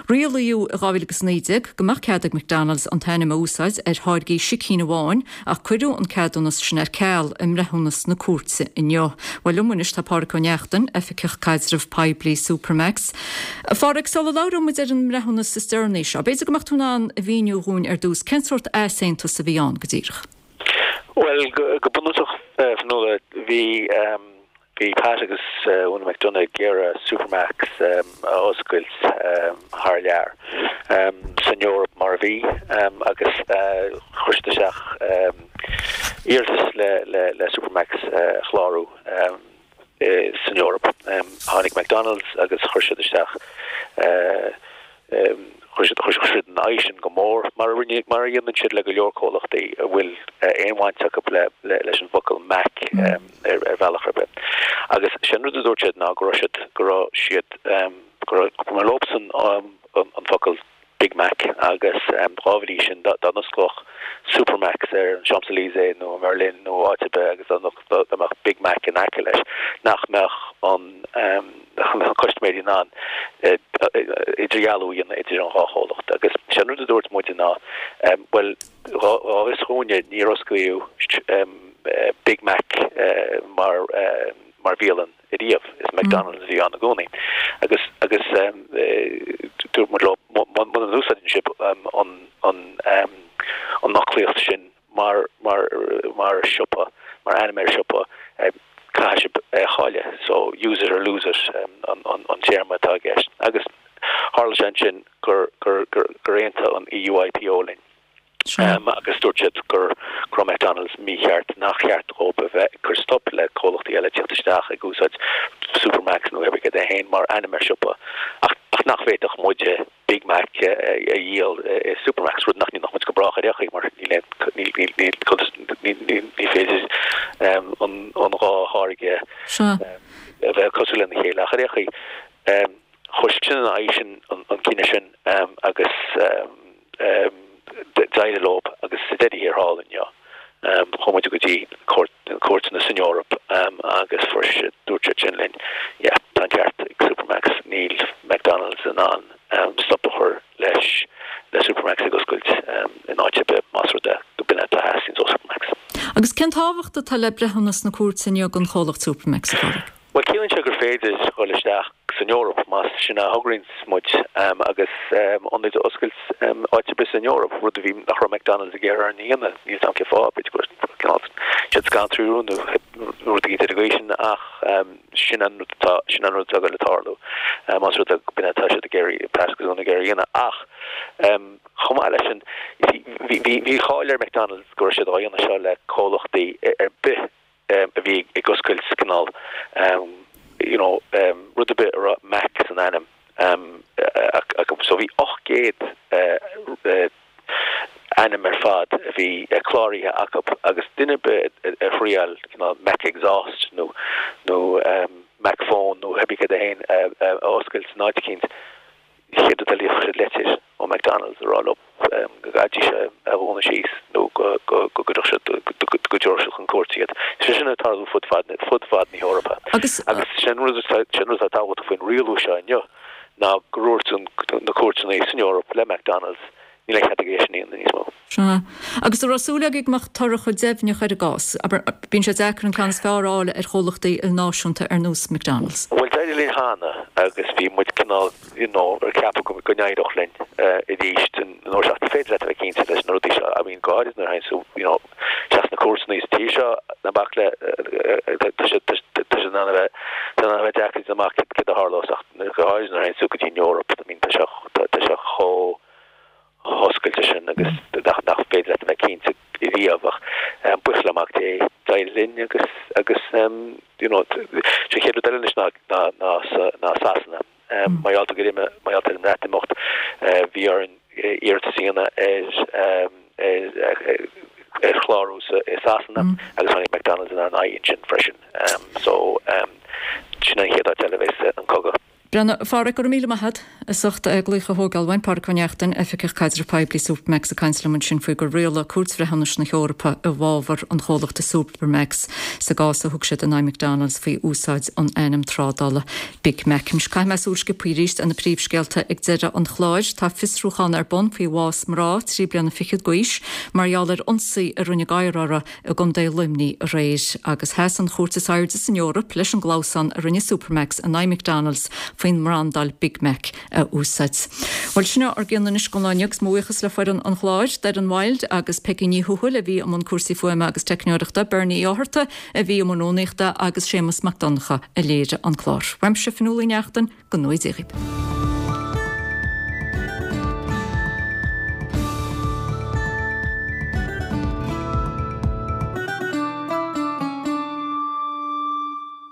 Rialaíodh i 2019 go mbeadh cead ag McDonald's an t-ainm a úsáid ar tháirgí sicín amháin ach cuireadh an ceadúnas sin ar ceal i mbreithiúnas na cúirte inniu. Bhuel liom anois tá Pádhraic Ó Neachtain, Oifigeach Caidrimh Poiblí Supermac's. A Phádhraic, sula labhróidh muid ar an mbreithiúnas is deireanaí seo, b'fhéidir go mbeadh tú in ann a mhíniú dhúinn ar dtús cén sórt easaontas a bhí ann go díreach? Bhuel, go bunúsach, Fionnuala, bhí bhí Pat agus Úna McDonagh ag iarraidh Supermac's a oscailt thar lear, san Eoraip mar a bhí, agus chuir siad isteach iarratas le Supermac's a chlárú san Eoraip. Tháinig McDonald's agus chuir siad isteach Chuir siad chuir siad ina aghaidh sin go mór, mar a rinne, mar a dhéanann siad le go leor comhlachtaí a bhfuil aon bhaint acu le leis an bhfocal Mac ar ar bhealach ar bith. Agus sin rud a dúirt siad ná go raibh siad, go raibh siad, go raibh, go mba leobsan an focal Big Mac agus dá bhrí sin dá dá n-osclódh Supermac's ar an Champs-Élysées nó i mBerlin nó áit ar bith agus dá dá mbeadh Big Mac in aice leis, nach mbeadh an na custaiméirí in ann. idirdhealú a dhéanamh idir an dhá chomhlacht. Agus sé an rud a dúirt muide ná, bhuel, dhá bhfios dhúinne níor osclaíodh Big Mac mar mar bhialann ariamh, is McDonald's a bhí ann i gcónaí. Agus agus dúirt muid leo, muna n-úsáideann sibh an an an fhoclaíocht sin mar mar mar siopa, mar ainm ar siopa, caithfidh sibh é a chailleadh. So, use it or lose it an an an téarma atá i gceist. Agus tharla sé ansin gur gur gur gur aontaigh an EUIPO linn. Agus dúirt siad gur go raibh McDonald's mícheart, nach cheart dhóibh a bheith ag cur stop le comhlachtaí eile tíocht isteach ag úsáid Supermacs nó cibé céard é féin mar ainm ar siopa ach ach nach bhféadfadh muide Big Mac a dhíol i Supermacs, rud nach ndéanfadh muid go brách ar aon chaoi mar níl aon níl níl níl níl níl ní féidir an an dhá tháirge a bheith cosúil lena chéile ach ar aon chaoi chuir sin ina aghaidh sin an cinneadh sin agus d'éirigh leo agus sa deireadh thiar thall inniu chuaigh muid go dtí cúirteanna san Eoraip agus fuair siad, dúirt siad sin linn, yeah, tá an ceart ag Supermacs, níl McDonald's in ann stop a chur leis, le Supermacs ag oscailt in áit ar bith más rud é go b'in é atá theastaíonns ó Supermacs. Agus cén tábhacht atá le breithiúnas na cúirte inniu don chomhlacht Supermacs, a Pháraic? Bhuel, ciallaíonn sé gur féidir dhul isteach san Eoraip, más sin a thograíonns muid, agus ionaid a oscailt áit ar bith san Eoraip, rud a bhí, nach raibh McDonald's ag iarraidh orainn a dhéanamh, níl 's a'm cén fáth, b'fhéidir go raibh cineál siad scanraithe nó rud éigin ar an gcaoi sin, ach sin an rud atá, sin an rud atá ag dul le tarlú, más rud é go b'in é atá siad ag iarraidh, ag iarraidh a dhéanamh. Ach chomh maith leis sin, bhí, bhí, bhí cáil ar McDonald's go raibh siad á dhéanamh seo le comhlachtaí ar bith a bhí ag oscailt cineál you know rud ar bith a raibh Mac san ainm acu. So bhí 800 ainm ar fad a bhí cláraithe acu agus duine ar bith a thriail cineál Mac Exhaust nó nó Mac Phone nó cibé céard é féin a oscailt san áit eicínt, chéad rud eile fuair siad leitir ó McDonald's a rá leo go gcaithfidís é a dhúnadh síos nó go gcuirfeadh siad, go dtabharfadh siad chun cúirte iad. Sé sin ag tarlú fud fad, fud fad na hEorpa. Agus sin an rud atá, sin an rud atá tábhachtach faoin rialú seo inniu ná go ndúirt na cúirteanna san Eoraip le McDonald's níl aon chead aige é sin a dhéanamh níos mó. Sea. Agus an raibh súil agaibh go mbeadh toradh chomh deimhneach ar an gcás? Abair, bíonn sé deacair an ceann is fearr a fháil ar chomhlachtaí ilnáisiúnta ar nós McDonald's. Bhuel, d'éirigh linn cheana agus bhí muid cineál, you know, ag ceapadh go go n-éireodh linn arís an uair seo. Ach ní féidir leat a bheith cinnte leis na rudaí seo. I mean, go háirid nuair a théann tú, you know, isteach sna cúirteanna sa tír seo, ná bac le, tá sé, tá sé in ann a bheith, tá sé in ann a bheith deacair a dhéanamh amach céard a tharlós ach go háirid nuair a théann tú go dtí an Eoraip, I mean, tá sé, tá sé chomh hoscailte sin agus nach nach féidir leat a bheith cinnte riamh ach buíochas le Mac Dé d'éirigh linn agus agus you know sé an chéad rud eile anois ná ná ná ná Sasana. Mar gheall gur imigh mar gheall ar an mBreatimeacht bhí orainn iarratas a dhéanamh ar ar ar chlárú sa i Sasana agus tháinig McDonald's inár n-aghaidh ansin freisin. So sin an chéad áit eile a bheas an cogadh. Breathnaigh, a Pháraic, go raibh míle maith agat as ucht glaoch a thógáil uainn. Páraic Ó Neachtain, Oifigeach Caidrimh Poiblí Supermacs ag caint liom ansin faoi gur rialaigh Cúirt Bhreithiúnais na hEorpa i bhfabhar an chomhlachta Supermacs sa gcás a thug siad in aghaidh McDonald's faoi úsáid an ainm trádála Big Mac. Anois caithfidh mé súil sciobtha arís ar na príomhscéalta ag deireadh an chláir. Tá fiosrúchán ar bun faoi bhás mná 3 bliana fichead d'aois mar gheall ar ionsaí a rinne gadhar uirthi i gContae Luimnigh aréir, agus sheas an chúirt is airde san Eoraip leis an gclamhsán a rinne Supermacs in aghaidh McDonald's faoin mbrandáil Big Mac a úsáid. Bhuel, sin ár gcion anois don lá inniu agus mo bhuíochas le foireann an chláir, Doireann Wilde agus Peggy Ní Thuathail a bhí i mbun cúrsaí fuaime agus teicneoireachta, Bernie Ó Fhátharta a bhí i mbun rúnaíochta agus Séamus Mac Donncha a léirigh an clár. Uaimse, Fionnuala Uí Neachtain, go ngnóthaí Dia dhaoibh.